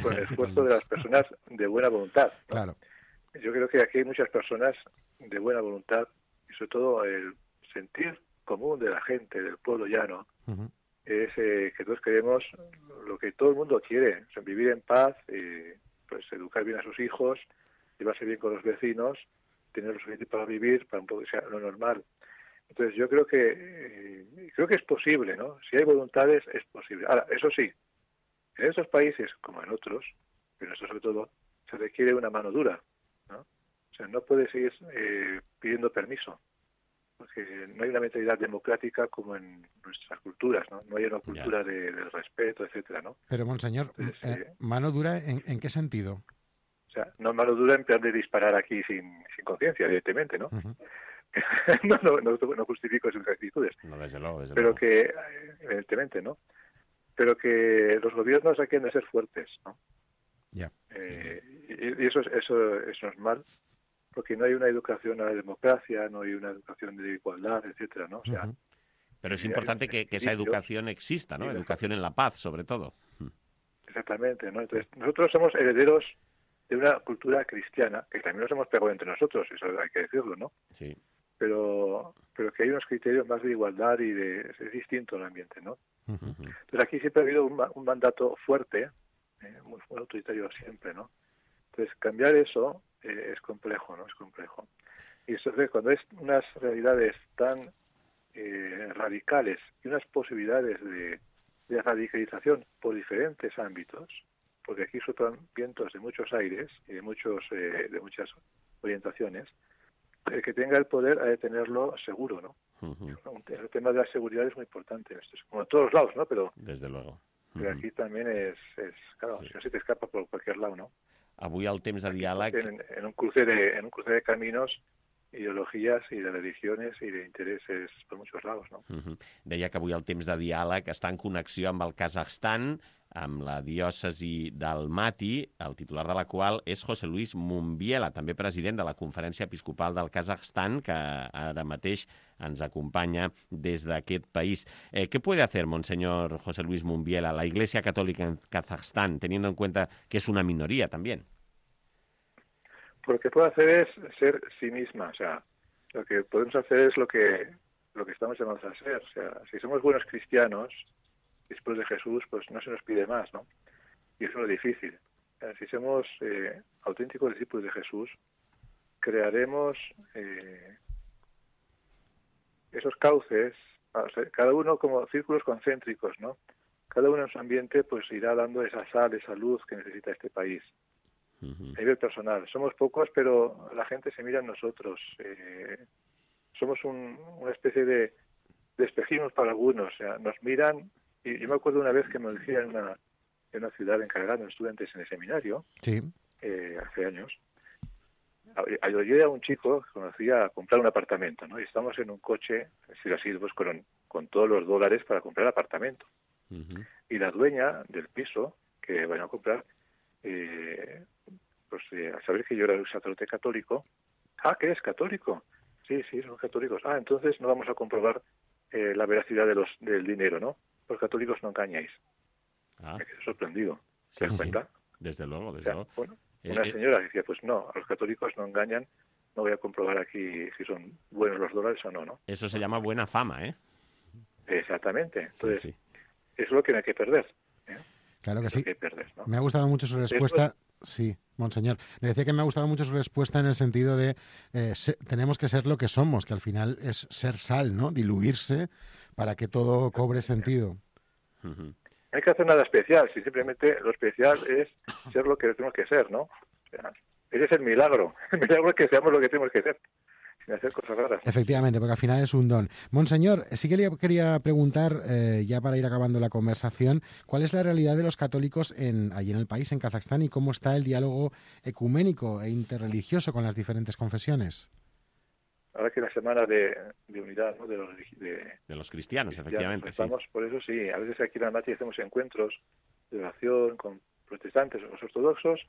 con el esfuerzo de las personas de buena voluntad, ¿no? Claro. Yo creo que aquí hay muchas personas de buena voluntad y sobre todo el sentir común de la gente, del pueblo llano, Ujú. es eh, que todos queremos lo que todo el mundo quiere, o sea, vivir en paz, eh, pues educar bien a sus hijos, llevarse bien con los vecinos, tener lo suficiente para vivir, para un poco sea lo normal. Entonces yo creo que eh, creo que es posible, ¿no? Si hay voluntades, es posible. Ahora, eso sí, en estos países, como en otros, pero en esto sobre todo, se requiere una mano dura, ¿no? O sea, no puedes ir eh, pidiendo permiso, porque no hay una mentalidad democrática como en nuestras culturas, ¿no? No hay una cultura de, del respeto, etcétera, ¿no? Pero, monseñor, Entonces, eh, eh, ¿mano dura en, en qué sentido? o sea, no mano dura en plan de disparar aquí sin, sin conciencia, evidentemente, ¿no? Uh-huh. no, no, no, no justifico sus actitudes. No, desde luego, desde pero luego. que, eh, evidentemente, ¿no? Pero que los gobiernos aquí han de ser fuertes, ¿no? Ya. Eh, y, y eso, es- eso, eso es mal, porque no hay una educación a la democracia, no hay una educación de igualdad, etcétera, ¿no? O sea, Ujú. Pero es hay importante unos que, que esa equilibrios. educación exista, ¿no? Sí, Educación en la paz, sobre todo. Exactamente, ¿no? Entonces, nosotros somos herederos de una cultura cristiana, que también nos hemos pegado entre nosotros, eso hay que decirlo, ¿no? Sí. Pero, pero que hay unos criterios más de igualdad y de, es distinto el ambiente, ¿no? Ujú. Entonces aquí siempre ha habido un, ma- un mandato fuerte, eh, muy, muy autoritario siempre, ¿no? Entonces cambiar eso eh, es complejo, ¿no? Es complejo. Y entonces cuando es unas realidades tan eh, radicales y unas posibilidades de, de radicalización por diferentes ámbitos, porque aquí soplan vientos de muchos aires y de muchos eh, de muchas orientaciones, el que tenga el poder ha de tenerlo seguro, ¿no? Ujú. El tema de la seguridad es muy importante en esto, como en todos lados, ¿no? Pero, Desde luego. pero Ujú. aquí también es, es claro, si no se te escapa por cualquier lado, ¿no? Avui el temps de diàleg... En, en un cruce de en un cruce de caminos, ideologías y de religiones y de intereses por muchos lados, ¿no? Uh-huh. Deia que avui el temps de diàleg està en connexió amb el Kazakhstan, amb la diòcesi d'Almaty, el titular de la qual és José Luis Mumbiela, també president de la Conferència Episcopal del Kazakhstan, que ara mateix ens acompanya des d'aquest país. Eh, ¿Qué puede hacer, monseñor José Luis Mumbiela, la Iglesia Católica en Kazajstán, teniendo en cuenta que es una minoría también? Pues lo que puede hacer es ser sí misma, o sea, lo que podemos hacer es lo que lo que estamos llamados a ser, o sea, si somos buenos cristianos, discípulos de Jesús, pues no se nos pide más, ¿no? Y eso es lo difícil. O sea, si somos eh, auténticos discípulos de Jesús, crearemos eh, esos cauces, o sea, cada uno como círculos concéntricos, ¿no? Cada uno en su ambiente pues irá dando esa sal, esa luz que necesita este país. Uh-huh. A nivel personal. Somos pocos, pero la gente se mira en nosotros. Eh, somos un, una especie de, de espejismos para algunos. O sea, nos miran. Y yo me acuerdo una vez que me decía en una, en una ciudad encargada, estudiantes en el seminario, Sí. eh, hace años. Ayudé a un chico que conocía a comprar un apartamento, ¿no? Y estamos en un coche, si así, pues con, con todos los dólares para comprar apartamento. Uh-huh. Y la dueña del piso que van a comprar, eh, pues eh, al saber que yo era un sacerdote católico, ah, ¿qué es católico? Sí, sí, son católicos. Ah, entonces no vamos a comprobar eh, la veracidad de los del dinero, ¿no? Los católicos no engañáis. Ah, Me quedé sorprendido. sí, ¿Te das sí. cuenta? Desde luego, O desde sea, luego. bueno, Eh, una eh, señora decía, pues no, a los católicos no engañan, no voy a comprobar aquí si son buenos los dólares o no, ¿no? Eso se llama buena fama, ¿eh? Exactamente. Entonces, Sí, sí. eso es lo que no hay que perder. ¿eh? Claro que Es lo sí. que hay que perder, ¿no? Me ha gustado mucho su respuesta. Sí, monseñor. Le decía que me ha gustado mucho su respuesta en el sentido de eh, se- tenemos que ser lo que somos, que al final es ser sal, ¿no? Diluirse para que todo cobre sentido. Uh-huh. No hay que hacer nada especial, si simplemente lo especial es ser lo que tenemos que ser, ¿no? O sea, ese es el milagro. El milagro es que seamos lo que tenemos que ser, sin hacer cosas raras. Efectivamente, porque al final es un don. Monseñor, sí que le quería preguntar, eh, ya para ir acabando la conversación, ¿cuál es la realidad de los católicos en, allí en el país, en Kazajstán, y cómo está el diálogo ecuménico e interreligioso con las diferentes confesiones? Ahora que la semana de, de unidad, ¿no? de los de, De los cristianos, cristianos, efectivamente, sí. estamos, por eso sí, a veces aquí en Almaty hacemos encuentros de oración con protestantes o los ortodoxos,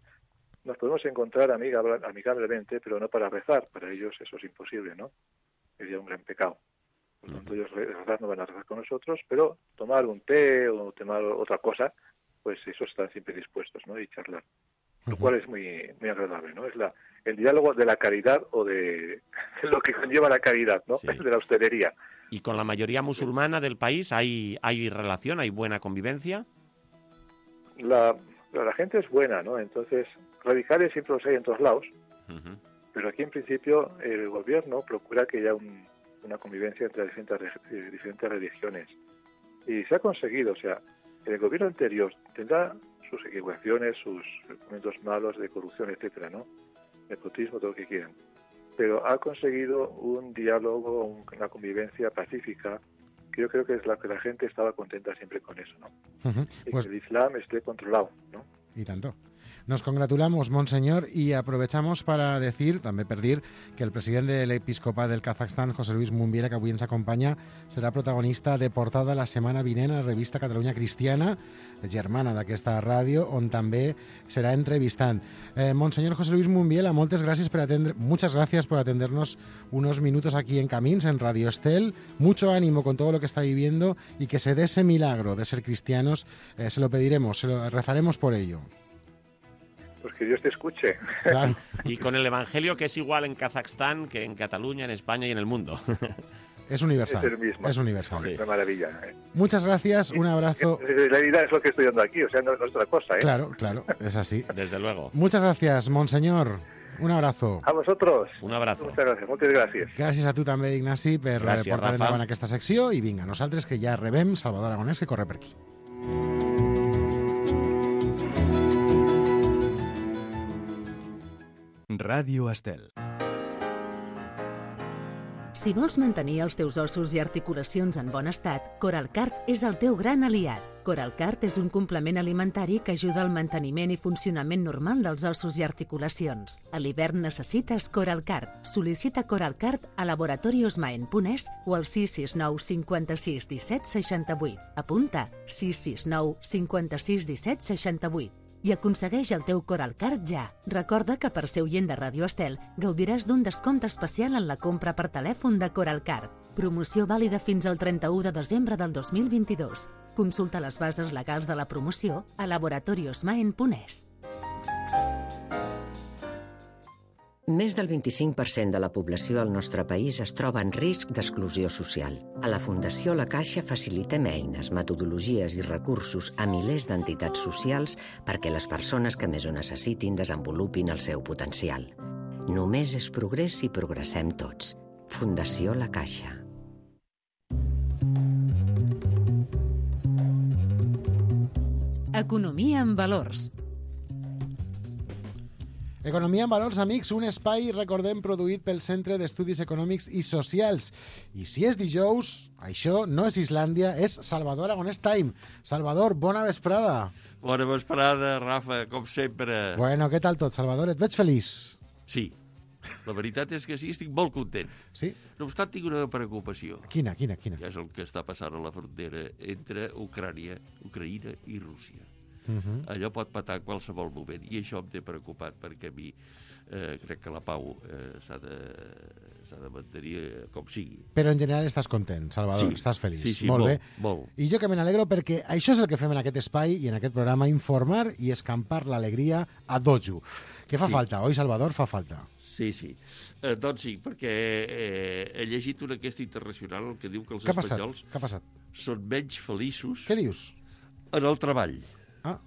nos podemos encontrar amigable- amigablemente, pero no para rezar, para ellos eso es imposible, ¿no? Sería un gran pecado. Por lo tanto, ellos re- rezar no van a rezar con nosotros, pero tomar un té o tomar otra cosa, pues eso están siempre dispuestos, ¿no? Y charlar. Lo cual es muy muy agradable, ¿no? Es la el diálogo de la caridad o de, de lo que conlleva la caridad, ¿no? Sí. De la hostelería. ¿Y con la mayoría musulmana del país hay, hay relación, hay buena convivencia? La, la gente es buena, ¿no? Entonces, radicales siempre los hay en todos lados, Uh-huh. pero aquí en principio el gobierno procura que haya un, una convivencia entre diferentes, diferentes religiones. Y se ha conseguido, o sea, el gobierno anterior tendrá sus equivocaciones, sus momentos malos de corrupción, etcétera, ¿no? Nepotismo, todo lo que quieran. Pero ha conseguido un diálogo, un, una convivencia pacífica, que yo creo que es la que la gente estaba contenta siempre con eso, ¿no? Uh-huh. Y Pues, que el Islam esté controlado, ¿no? y tanto. Nos congratulamos, Monseñor, y aprovechamos para decir, també per dir, que el president de l'Episcopat del Kazakhstan, José Luis Mumbiera, que avui ens acompanya, serà protagonista de portada la setmana vinent a la revista Catalunya Cristiana, germana d'aquesta ràdio, on també serà entrevistant. Eh, Monseñor José Luis Mumbiela, moltes gràcies per atendre, muchas gracias por atendernos unos minutos aquí en Camins, en Radio Estel. Mucho ánimo con todo lo que está viviendo y que se dé ese milagro de ser cristianos. Eh, se lo pediremos, se lo rezaremos por ello. Pues que Dios te escuche. Claro. Y con el Evangelio, que es igual en Kazajstán que en Cataluña, en España y en el mundo. Es universal. Es el mismo. Es universal. Es una maravilla. ¿eh? Muchas gracias, un abrazo. La realidad es lo que estoy dando aquí, o sea, no, no es otra cosa, ¿eh? Claro, claro, es así. Desde luego. Muchas gracias, Monseñor. Un abrazo. A vosotros. Un abrazo. Muchas gracias, moltes gràcies. Gràcies a tu també, Ignasi, per Gràcies, portar Rafa. endavant aquesta secció. I vinga, nosaltres que ja rebem Salvador Aragonès, que corre per aquí. Ràdio Estel. Si vols mantenir els teus ossos i articulacions en bon estat, Coralcart és el teu gran aliat. Coralcart és un complement alimentari que ajuda al manteniment i funcionament normal dels ossos i articulacions. A l'hivern necessites Coralcart. Sol·licita Coralcart a laboratoriosmaen punt es o al sis sis nou cinquanta-sis disset seixanta-vuit. Apunta sis sis nou cinquanta-sis disset seixanta-vuit. I aconsegueix el teu Coralcart ja. Recorda que per ser oient de Ràdio Estel gaudiràs d'un descompte especial en la compra per telèfon de Coralcart. Promoció vàlida fins al trenta-u de desembre del dos mil vint-i-dos. Consulta les bases legals de la promoció a laboratoriosmaen punt es. Més del vint-i-cinc per cent de la població al nostre país es troba en risc d'exclusió social. A la Fundació La Caixa facilitem eines, metodologies i recursos a milers d'entitats socials perquè les persones que més ho necessitin desenvolupin el seu potencial. Només és progrés si progressem tots. Fundació La Caixa. Economia en valors. Economia en valors, amics, un espai, recordem, produït pel Centre d'Estudis Econòmics i Socials. I si és dijous, això no és Islàndia, és Salvador Aragonès Time. Salvador, bona vesprada. Bona vesprada, Rafa, com sempre. Bueno, què tal tot, Salvador? Et veig feliç? Sí, la veritat és que sí, estic molt content. Sí? No obstant, tinc una preocupació. Quina, quina, quina? Que és el que està passant a la frontera entre Ucrània, Ucraïna i Rússia. Uh -huh. Allò pot patar en qualsevol moment i això em té preocupat perquè a mi eh, crec que la pau eh, s'ha de, s'ha de mantenir eh, com sigui. Però en general estàs content, Salvador, Sí, estàs feliç. sí, sí, molt, molt, bé. molt. I jo que me n'alegro perquè això és el que fem en aquest espai i en aquest programa, informar i escampar l'alegria a dojo. Que fa Sí. falta, oi, Salvador? Fa falta. Sí, sí. Eh, doncs sí, perquè eh, he llegit una enquesta internacional que diu que els Què ha passat? espanyols Què ha passat? són menys feliços Què dius? en el treball. Ah.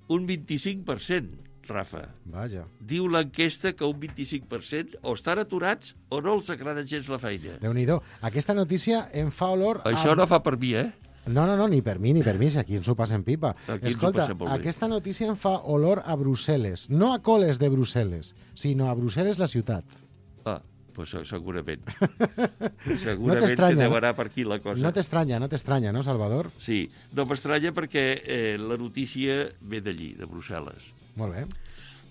Un vint-i-cinc per cent, Rafa. Vaja. Diu l'enquesta que un vint-i-cinc per cent o estan aturats o no els agrada gens la feina. Déu-n'hi-do. Aquesta notícia em fa olor a... Això no fa per mi, eh? No, no, no, ni per mi, ni per mi, si aquí ens ho passem pipa. Aquí ens ho Escolta, passem molt bé. aquesta notícia em fa olor a Brussel·les. No a coles de Brussel·les, sinó a Brussel·les, la ciutat. Ah, doncs segurament. No segurament t'estranya, que deu no? anar per aquí la cosa. No t'estranya, no t'estranya, no, Salvador? Sí, no m'estranya perquè eh, la notícia ve d'allí, de Brussel·les. Molt bé.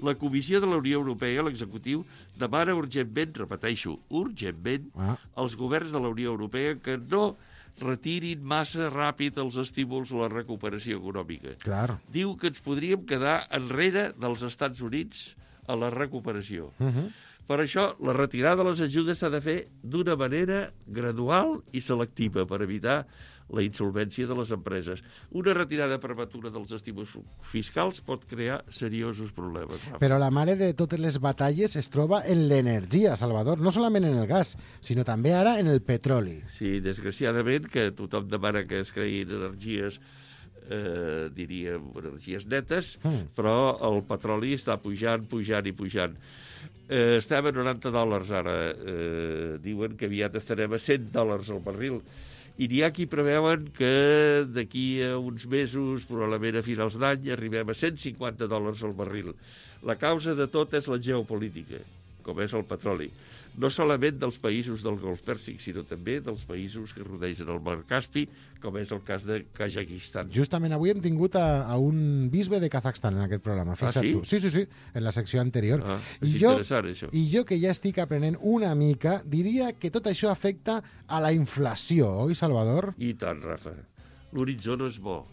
La Comissió de la Unió Europea, l'executiu, demana urgentment, repeteixo, urgentment, Ah. als governs de la Unió Europea que no retirin massa ràpid els estímuls a la recuperació econòmica. Clar. Diu que ens podríem quedar enrere dels Estats Units a la recuperació. Uh -huh. Per això, la retirada de les ajudes s'ha de fer d'una manera gradual i selectiva per evitar la insolvència de les empreses. Una retirada prematura dels estímuls fiscals pot crear seriosos problemes. Rafa. Però la mare de totes les batalles es troba en l'energia, Salvador. No solament en el gas, sinó també ara en el petroli. Sí, desgraciadament, que tothom demana que es creïn energies eh, diríem, energies netes, Mm. però el petroli està pujant, pujant i pujant. Eh, estem a noranta dòlars ara. Eh, diuen que aviat estarem a cent dòlars al barril. I n'hi ha qui preveuen que d'aquí a uns mesos, probablement a finals d'any, arribem a cent cinquanta dòlars al barril. La causa de tot és la geopolítica, com és el petroli. No solament dels països del Golf Pèrsic, sinó també dels països que rodegen el mar Caspi, com és el cas de Kazakistan. Justament avui hem tingut a, a un bisbe de Kazakhstan en aquest programa. Fixa't Ah, sí? tu. Sí, sí, sí, en la secció anterior. Ah, I és jo, interessant, això. I jo, que ja estic aprenent una mica, diria que tot això afecta a la inflació, oi, Salvador? I tant, Rafa. L'horitzó no és bo.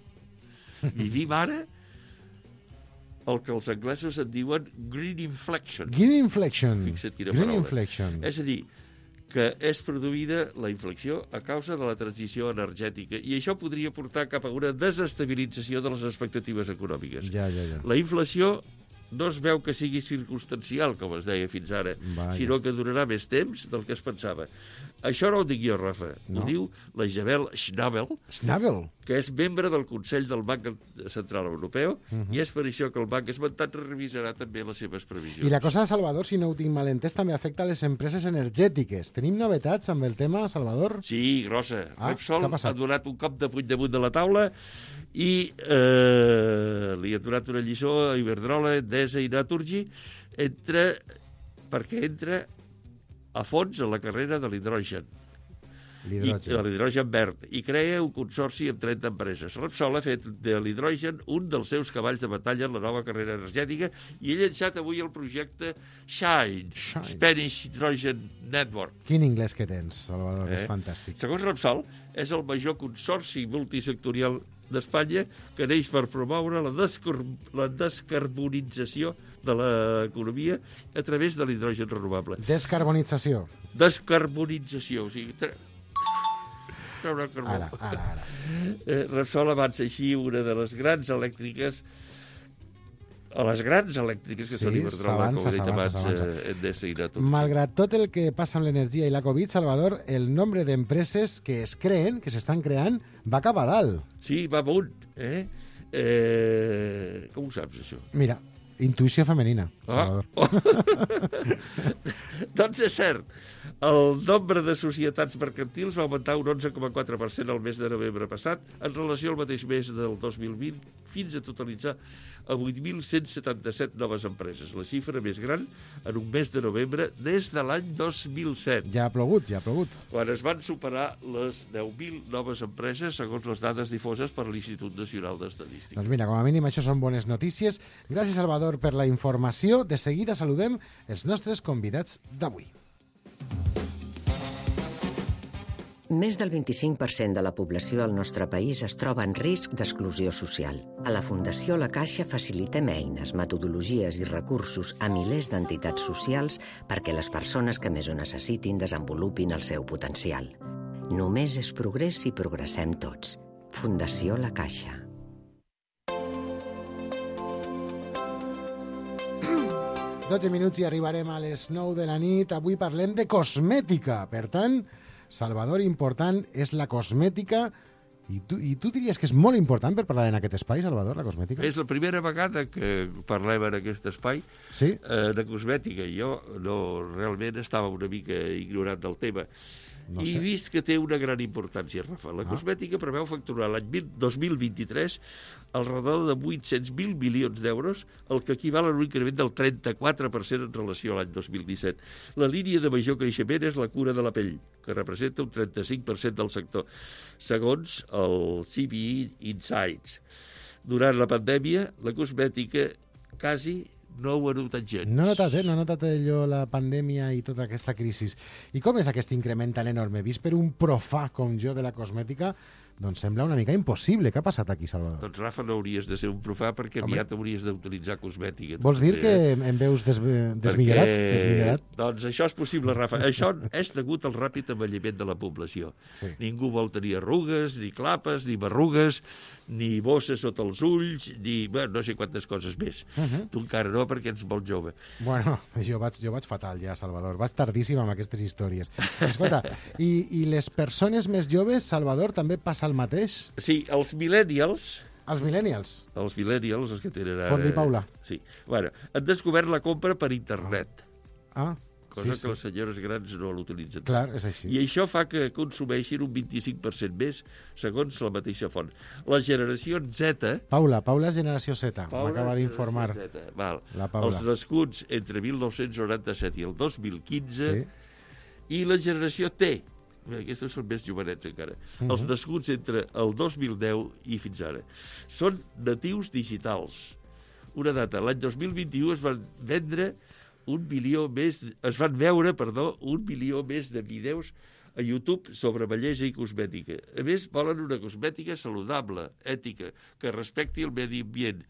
Vivim ara el que els anglesos en diuen green inflection. Green inflection. Fixa't quina Green paraula. inflection. És a dir, que és produïda la inflexió a causa de la transició energètica i això podria portar cap a una desestabilització de les expectatives econòmiques. Ja, ja, ja. La inflació no es veu que sigui circumstancial, com es deia fins ara, Vaja. sinó que durarà més temps del que es pensava. Això no ho dic jo, Rafa. No? Ho diu la Isabel Schnabel, Schnabel. que és membre del Consell del Banc Central Europeu, Mhm. i és per això que el banc esmentat revisarà també les seves previsions. I la cosa, Salvador, si no ho tinc mal entès, també afecta les empreses energètiques. Tenim novetats amb el tema, Salvador? Sí, grossa. Ah, Repsol què ha passat? ha donat un cop de puny damunt de la taula i eh, li ha donat una lliçó a Iberdrola, Endesa i Naturgy entre, perquè entra a fons en la carrera de l'hidrogen. L'hidrogen. I, de l'hidrogen verd, i crea un consorci amb trenta empreses. Repsol ha fet de l'hidrogen un dels seus cavalls de batalla en la nova carrera energètica i ha llançat avui el projecte Shine, Shine. Spanish Hydrogen Network. Quin inglès que tens, Salvador, Eh? és fantàstic. Segons Repsol, és el major consorci multisectorial d'Espanya que neix per promoure la, descor la descarbonització de l'economia a través de l'hidrogen renovable. Descarbonització. Descarbonització, o sigui... Tre... treure el carbó. Ara, ara, ara. Eh, Repsol avança així una de les grans elèctriques a les grans elèctriques que Sí, són Iberdrola, com s'avança, he dit abans, s'avança, eh, Endesa i Naturgy. Malgrat tot el que passa amb l'energia i la Covid, Salvador, el nombre d'empreses que es creen, que s'estan creant, va cap a dalt. Sí, va amunt. Eh? Eh... Com ho saps, això? Mira, intuïció femenina, Ah. Salvador. Doncs és cert. El nombre de societats mercantils va augmentar un onze coma quatre per cent el mes de novembre passat en relació al mateix mes del dos mil vint, fins a totalitzar a vuit mil cent setanta-set noves empreses, la xifra més gran en un mes de novembre des de l'any dos mil set. Ja ha plogut, ja ha plogut. Quan es van superar les deu mil noves empreses, segons les dades difoses per l'Institut Nacional d'Estadística. Doncs mira, com a mínim això són bones notícies. Gràcies, Salvador, per la informació. De seguida saludem els nostres convidats d'avui. Més del vint-i-cinc per cent de la població al nostre país es troba en risc d'exclusió social. A la Fundació La Caixa facilitem eines, metodologies i recursos a milers d'entitats socials perquè les persones que més ho necessitin desenvolupin el seu potencial. Només és progrés si progressem tots. Fundació La Caixa. dotze minuts i arribarem a les nou de la nit. Avui parlem de cosmètica. Per tant, Salvador, important és la cosmètica. I tu, I tu diries que és molt important per parlar en aquest espai, Salvador, la cosmètica? És la primera vegada que parlem en aquest espai sí? eh, de cosmètica. Jo no, realment estava una mica ignorant del tema. No I sé. vist que té una gran importància, Rafa. La Ah. cosmètica preveu facturar l'any dos mil vint-i-tres al redol de vuit-cents mil milions d'euros, el que equival a un increment del trenta-quatre per cent en relació a l'any dos mil disset. La línia de major creixement és la cura de la pell, que representa un trenta-cinc per cent del sector, segons el C B I Insights. Durant la pandèmia, la cosmètica quasi no ho ha notat gens. No he notat, eh? No he notat allò, la pandèmia i tota aquesta crisi. I com és aquest increment tan enorme? Vist per un profà com jo de la cosmètica, doncs sembla una mica impossible. Què ha passat aquí, Salvador? Doncs, Rafa, no hauries de ser un profà perquè Home. aviat hauries d'utilitzar cosmètica. Vols dir També, que eh? em veus des desmillorat? Perquè, desmillorat? doncs això és possible, Rafa. Això és degut al ràpid envelliment de la població. Sí. Ningú vol tenir arrugues, ni clapes, ni berrugues, ni bosses sota els ulls, ni bueno, no sé quantes coses més. Uh -huh. Tu encara no, perquè ets molt jove. Bueno, jo vaig, jo vaig fatal ja, Salvador. Vaig tardíssim amb aquestes històries. Escolta, i, i les persones més joves, Salvador, també passa el mateix? Sí, els millennials Els millennials. Els millennials, els que tenen ara... Fondi Paula. Sí. Bueno, han descobert la compra per internet. Ah, cosa sí, que sí. les senyores grans no l'utilitzen. Clar, és així. I això fa que consumeixin un vint-i-cinc per cent més, segons la mateixa font. La generació Z... Paula, Paula és generació Z, Paula m'acaba és d'informar. generació Z, val. La Paula. Els nascuts entre mil nou-cents noranta-set i el dos mil quinze, Sí. i la generació T. Bé, aquests són més jovenets encara. Mhm. Els nascuts entre el dos mil deu i fins ara. Són natius digitals. Una data, l'any dos mil vint-i-u es van vendre un milió més, es van veure, perdó, un milió més de vídeos a YouTube sobre bellesa i cosmètica. A més, volen una cosmètica saludable, ètica, que respecti el medi ambient.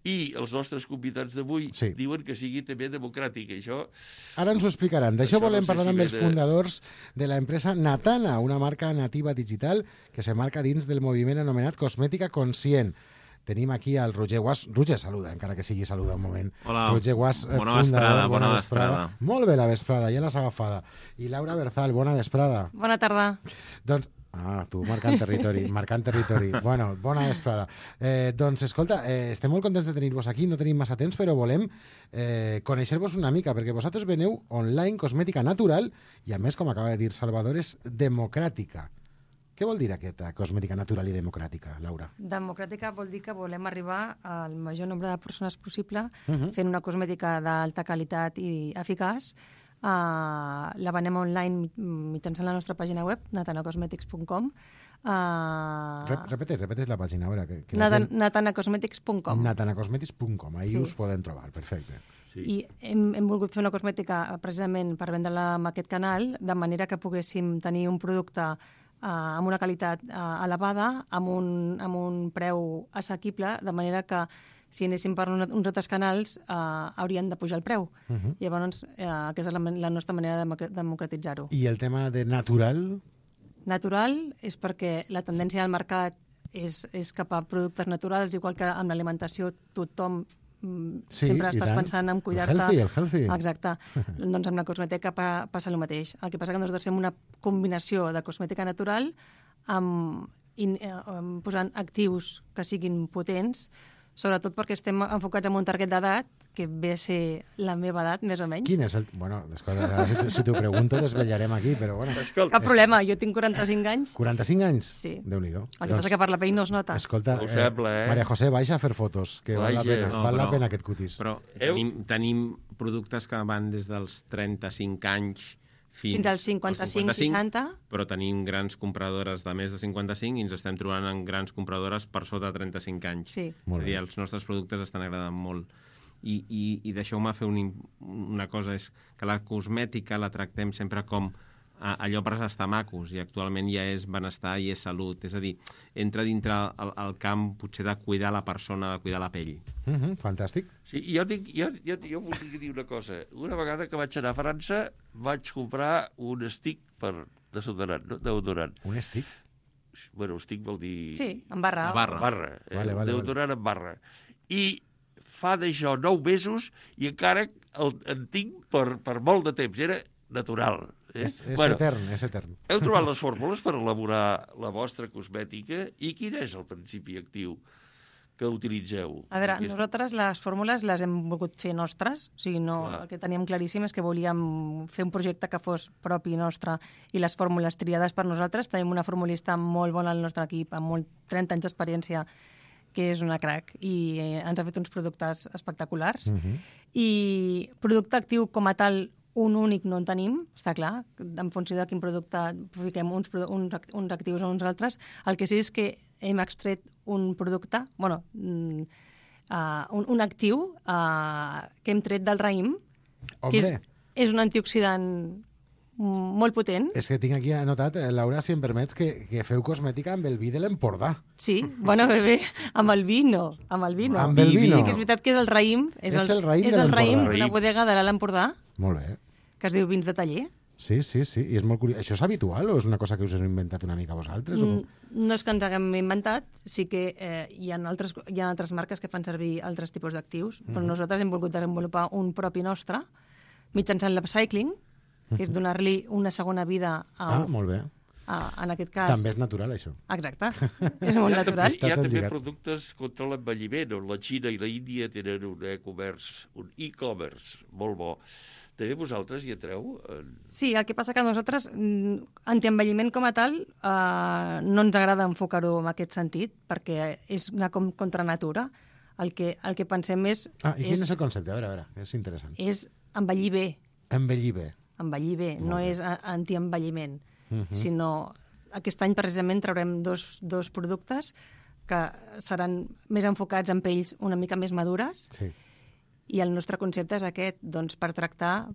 I els nostres convidats d'avui Sí. diuen que sigui també democràtic. Això... Ara ens ho explicaran. D'això Això no volem sé parlar si amb ve els de- fundadors de la empresa Natana, una marca nativa digital que se marca dins del moviment anomenat Cosmètica Conscient. Tenim aquí al Roger Guas. Roger, saluda, encara que sigui saluda un moment. Hola, Roger Guas, eh, bona vesprada, bona vesprada. Molt bé la vesprada, ja l'has agafada. I Laura Berzal, bona vesprada. Bona tarda. Doncs, ah, tu marcant territori, marcant territori. Bueno, bona vesprada. Eh, doncs, escolta, eh, estem molt contents de tenir-vos aquí, no tenim massa temps, però volem eh, conèixer-vos una mica, perquè vosaltres veneu online cosmètica natural i, a més, com acaba de dir Salvador, és democràtica. Què vol dir aquesta cosmètica natural i democràtica, Laura? Democràtica vol dir que volem arribar al major nombre de persones possible Uh -huh. fent una cosmètica d'alta qualitat i eficaç. Uh, la venem online mitjançant la nostra pàgina web, natanacosmetics punt com. Uh, Rep repetes, repetes la pàgina, a veure. Que, que la Natan gent... natanacosmetics punt com. natanacosmetics punt com, ahí Sí. us poden trobar, perfecte. I hem, hem volgut fer una cosmètica precisament per vendre-la en aquest canal, de manera que poguéssim tenir un producte uh, amb una qualitat uh, elevada, amb un, amb un preu assequible, de manera que si anéssim per un, uns altres canals uh, haurien de pujar el preu. Uh -huh. Llavors, uh, aquesta és la, la nostra manera de democratitzar-ho. I el tema de natural? Natural és perquè la tendència del mercat és, és cap a productes naturals, igual que amb l'alimentació tothom mm, Sí, sempre i estàs tant. pensant en El cuidar-te. healthy, el healthy. Exacte. Doncs amb la cosmètica pa, passa el mateix. El que passa que nosaltres fem una combinació de cosmètica natural amb, in, eh, amb posant actius que siguin potents, sobretot perquè estem enfocats en un target d'edat que ve a ser la meva edat, més o menys. Quin és el... Bueno, escolta, ara si, si t'ho pregunto desvetllarem aquí, però bueno. Cap problema, jo tinc quaranta-cinc anys. quaranta-cinc anys? Sí. Déu-n'hi-do. El que passa que per la pell no es nota. Escolta, No ho sembla, eh? Maria José, baixa a fer fotos, que val la Vaja. pena, No, val la però- pena aquest cutis. Però tenim, tenim productes que van des dels trenta-cinc anys fins, Fins als cinquanta-cinc, seixanta. però tenim grans compradores de més de cinquanta-cinc i ens estem trobant en grans compradores per sota de trenta-cinc anys. Sí. Molt És a dir, bé. els nostres productes estan agradant molt. I, i, i deixeu-me fer un, una cosa, és que la cosmètica la tractem sempre com a, allò per estar macos, i actualment ja és benestar i és salut. És a dir, entra dintre el, el camp potser de cuidar la persona, de cuidar la pell. Uh -huh, fantàstic. Sí, i jo, tinc, jo, jo, jo volia dir una cosa. Una vegada que vaig anar a França, vaig comprar un stick per desodorant, no? Deodorant. Un stick? Bueno, stick vol dir... Sí, en barra. La barra. Barra. Eh? Vale, vale, Deodorant en barra. I fa d'això nou mesos i encara el, en tinc per, per molt de temps. Era natural. Eh? És, és bueno, etern, és etern. Heu trobat les fórmules per elaborar la vostra cosmètica? I quin és el principi actiu que utilitzeu? A veure, Aquest- nosaltres les fórmules les hem volgut fer nostres, o sigui, no, Clar. el que teníem claríssim és que volíem fer un projecte que fos propi nostre i les fórmules triades per nosaltres. Tenim una formulista molt bona al nostre equip, amb molt trenta anys d'experiència, que és una crack, i eh, ens ha fet uns productes espectaculars. Uh -huh. I producte actiu com a tal, un únic no en tenim, està clar, en funció de quin producte fiquem uns, produ- uns, act- uns actius o uns altres. El que sí és que hem extret un producte, bueno, mm, uh, un, un actiu uh, que hem tret del raïm, que és, Hombre. és un antioxidant mm, molt potent. És que tinc aquí anotat, eh, Laura, si em permets, que, que feu cosmètica amb el vi de l'Empordà. Sí, bueno, bé, bé, amb el vi no, amb el vi no. Amb el vi no. Sí que és veritat que és el raïm, és, És el raïm és de el raïm l'Empordà. d'una bodega de l'Alt Empordà, Molt bé. que es diu Vins de Taller. Sí, sí, sí, i és molt curiós. Això és habitual o és una cosa que us heu inventat una mica vosaltres? O... Mm, No és que ens haguem inventat, sí que eh, hi, ha altres, hi ha altres marques que fan servir altres tipus d'actius, però Mhm. nosaltres hem volgut desenvolupar un propi nostre mitjançant l'upcycling, que és donar-li una segona vida a, Ah, molt bé. Uh, en aquest cas... També és natural, això. Exacte, és molt natural. Hi ha també productes contra l'envelliment, on la Xina i la Índia tenen un e-commerce, un e-commerce molt bo. També vosaltres hi entreu? En... Sí, el que passa que a nosaltres, antienvelliment com a tal, eh, no ens agrada enfocar-ho en aquest sentit, perquè és una com contra natura. El que, el que pensem és... Ah, i quin és, és el concepte? A veure, a veure, és interessant. És envellir bé. Envellir bé. Envellir bé, Molt no bé. és antienvelliment. Uh-huh. Sinó aquest any precisament traurem dos, dos productes que seran més enfocats en pells una mica més madures, sí. I el nostre concepte és aquest, doncs, per tractar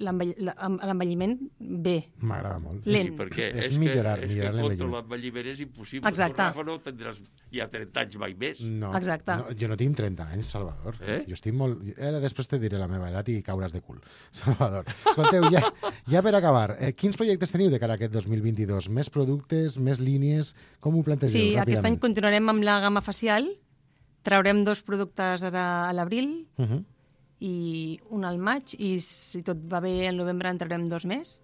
l'envelliment bé. M'agrada molt. Lent. Sí, perquè és, és, millorar, que, és millorar que contra l'envelliment. l'envelliment és impossible. Exacte. Tu, Rafa, no tindràs ja trenta anys mai més. No, Exacte. no, jo no tinc trenta anys, Salvador. Eh? Jo estic molt... Ara després te diré la meva edat i cauràs de cul. Salvador. Escolteu, ja, ja per acabar, eh, quins projectes teniu de cara a aquest dos mil vint-i-dos? Més productes, més línies? Com ho plantegeu? Sí, aquest ràpidament? any continuarem amb la gamma facial, traurem dos productes ara a l'abril, Uh -huh. i un al maig, i si tot va bé, al novembre en traurem dos més.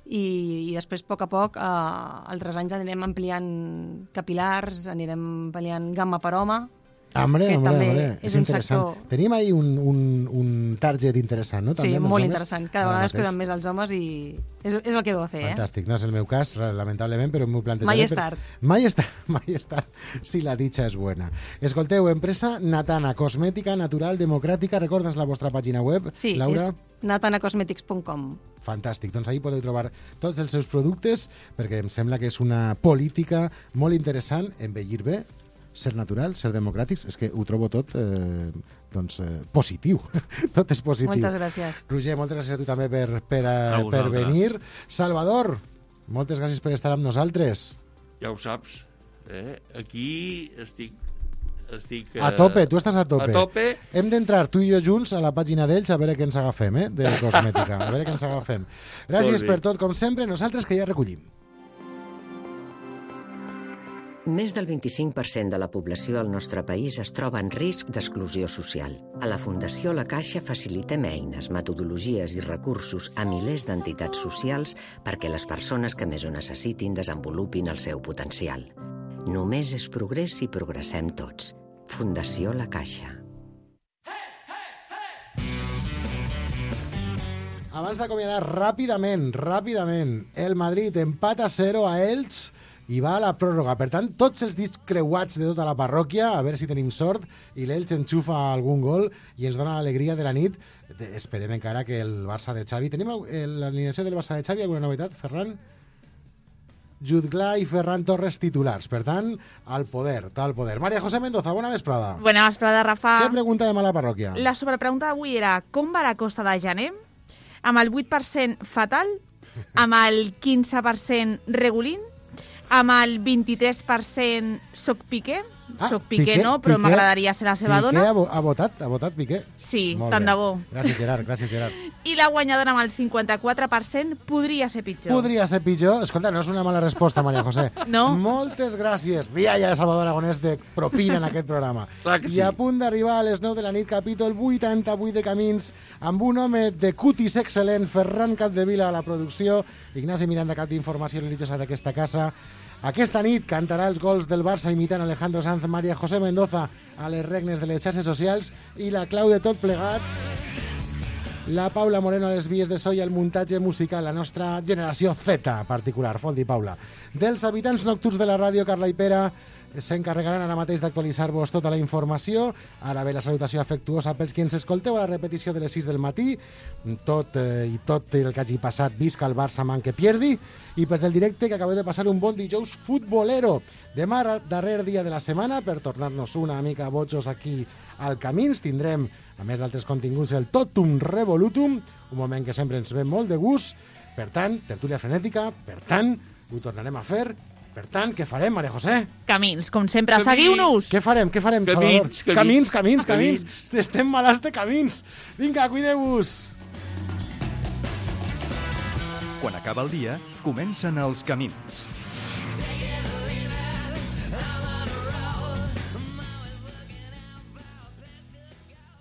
I, i després, a poc a poc, eh, altres anys anirem ampliant capilars, anirem ampliant gamma per home, Hombre, que hombre, també hombre, és és un interessant. sector... Tenim ahí un, un, un target interessant, no? També, Sí, amb els molt homes? interessant. Cada Ara vegada es mateix. queden més els homes i és, és el que heu de fer, Fantàstic. No és el meu cas, lamentablement, però m'ho plantejaré. Mai és per- tard. Mai és tard, mai és tard, si la dicha és buena. Escolteu, empresa Natana, cosmètica natural democràtica. Recordes la vostra pàgina web, eh? Sí, Laura? és natanacosmetics punt com. Fantàstic, doncs ahí podeu trobar tots els seus productes, perquè em sembla que és una política molt interessant, envellir bé, ser natural, ser democràtics, és que ho trobo tot eh, doncs, eh, positiu. Tot és positiu. Moltes gràcies. Roger, moltes gràcies a tu també per, per, A a, per vosaltres. venir. Salvador, moltes gràcies per estar amb nosaltres. Ja ho saps. Eh? Aquí estic... estic eh, A tope, tu estàs a tope. A tope. Hem d'entrar tu i jo junts a la pàgina d'ells a veure què ens agafem, eh? De cosmètica, a veure què ens agafem. Gràcies Molt bé. per tot, com sempre, nosaltres que ja recollim. Més del vint-i-cinc per cent de la població al nostre país es troba en risc d'exclusió social. A la Fundació La Caixa facilitem eines, metodologies i recursos a milers d'entitats socials perquè les persones que més ho necessitin desenvolupin el seu potencial. Només és progrés si progressem tots. Fundació La Caixa. Abans d'acomiadar ràpidament, ràpidament, el Madrid empata a zero a Elx i va a la pròrroga. Per tant, tots els dits creuats de tota la parròquia, a veure si tenim sort, i l'Elx enxufa algun gol i ens dona l'alegria de la nit. Esperem encara que el Barça de Xavi... Tenim l'alineació del Barça de Xavi, alguna novetat, Ferran? Jutglà i Ferran Torres titulars. Per tant, al poder, tal poder. María José Mendoza, bona vesprada. Bona vesprada, Rafa. Què preguntàvem a la parròquia? La sobrepregunta d'avui era com va la costa de gener? Amb el vuit per cent fatal? Amb el quinze per cent regulín? Amb el vint-i-tres per cent soc Piqué? Ah, soc Piqué, Piqué, no, però Piqué, m'agradaria ser la seva Piqué dona. ha, vo- ha votat, ha votat Piqué? Sí, Molt tant bé. de bo. Gràcies, Gerard, gràcies, Gerard. I la guanyadora amb el cinquanta-quatre per cent podria ser pitjor. Podria ser pitjor. Escolta, no és una mala resposta, María José. No. Moltes gràcies. Rialla de Salvador Aragonès de propina en aquest programa. Clar que sí. I a punt d'arribar a les nou de la nit, capítol vuitanta-vuit de Camins, amb un home de cutis excel·lent, Ferran Capdevila a la producció, Ignasi Miranda, cap d'informació religiosa d'aquesta casa. Aquesta nit cantarà els gols del Barça imitant Alejandro Sanz, María José Mendoza a les regnes de les xarxes socials i la clau de tot plegat, la Paula Moreno a les vies de so i el muntatge musical, la nostra generació Z particular, fot-li Paula. Dels habitants nocturns de la ràdio, Carla i Pere s'encarregaran ara mateix d'actualitzar-vos tota la informació. Ara ve la salutació afectuosa pels qui ens escolteu a la repetició de les sis del matí. Tot eh, i tot el que hagi passat, visca el Barça man que pierdi. I pels del directe, que acabeu de passar un bon dijous futbolero. Demà, darrer dia de la setmana, per tornar-nos una mica bojos aquí al Camins, tindrem, a més d'altres continguts, el Totum Revolutum, un moment que sempre ens ve molt de gust. Per tant, tertúlia frenètica, per tant, ho tornarem a fer. Per tant, què farem, María José? Camins, com sempre, Camins. seguiu-nos! Què farem, què farem, Camins, Salvador? camins, camins, camins, camins. camins. Estem malalts de camins. Vinga, cuideu-vos. Quan acaba el dia, comencen els camins.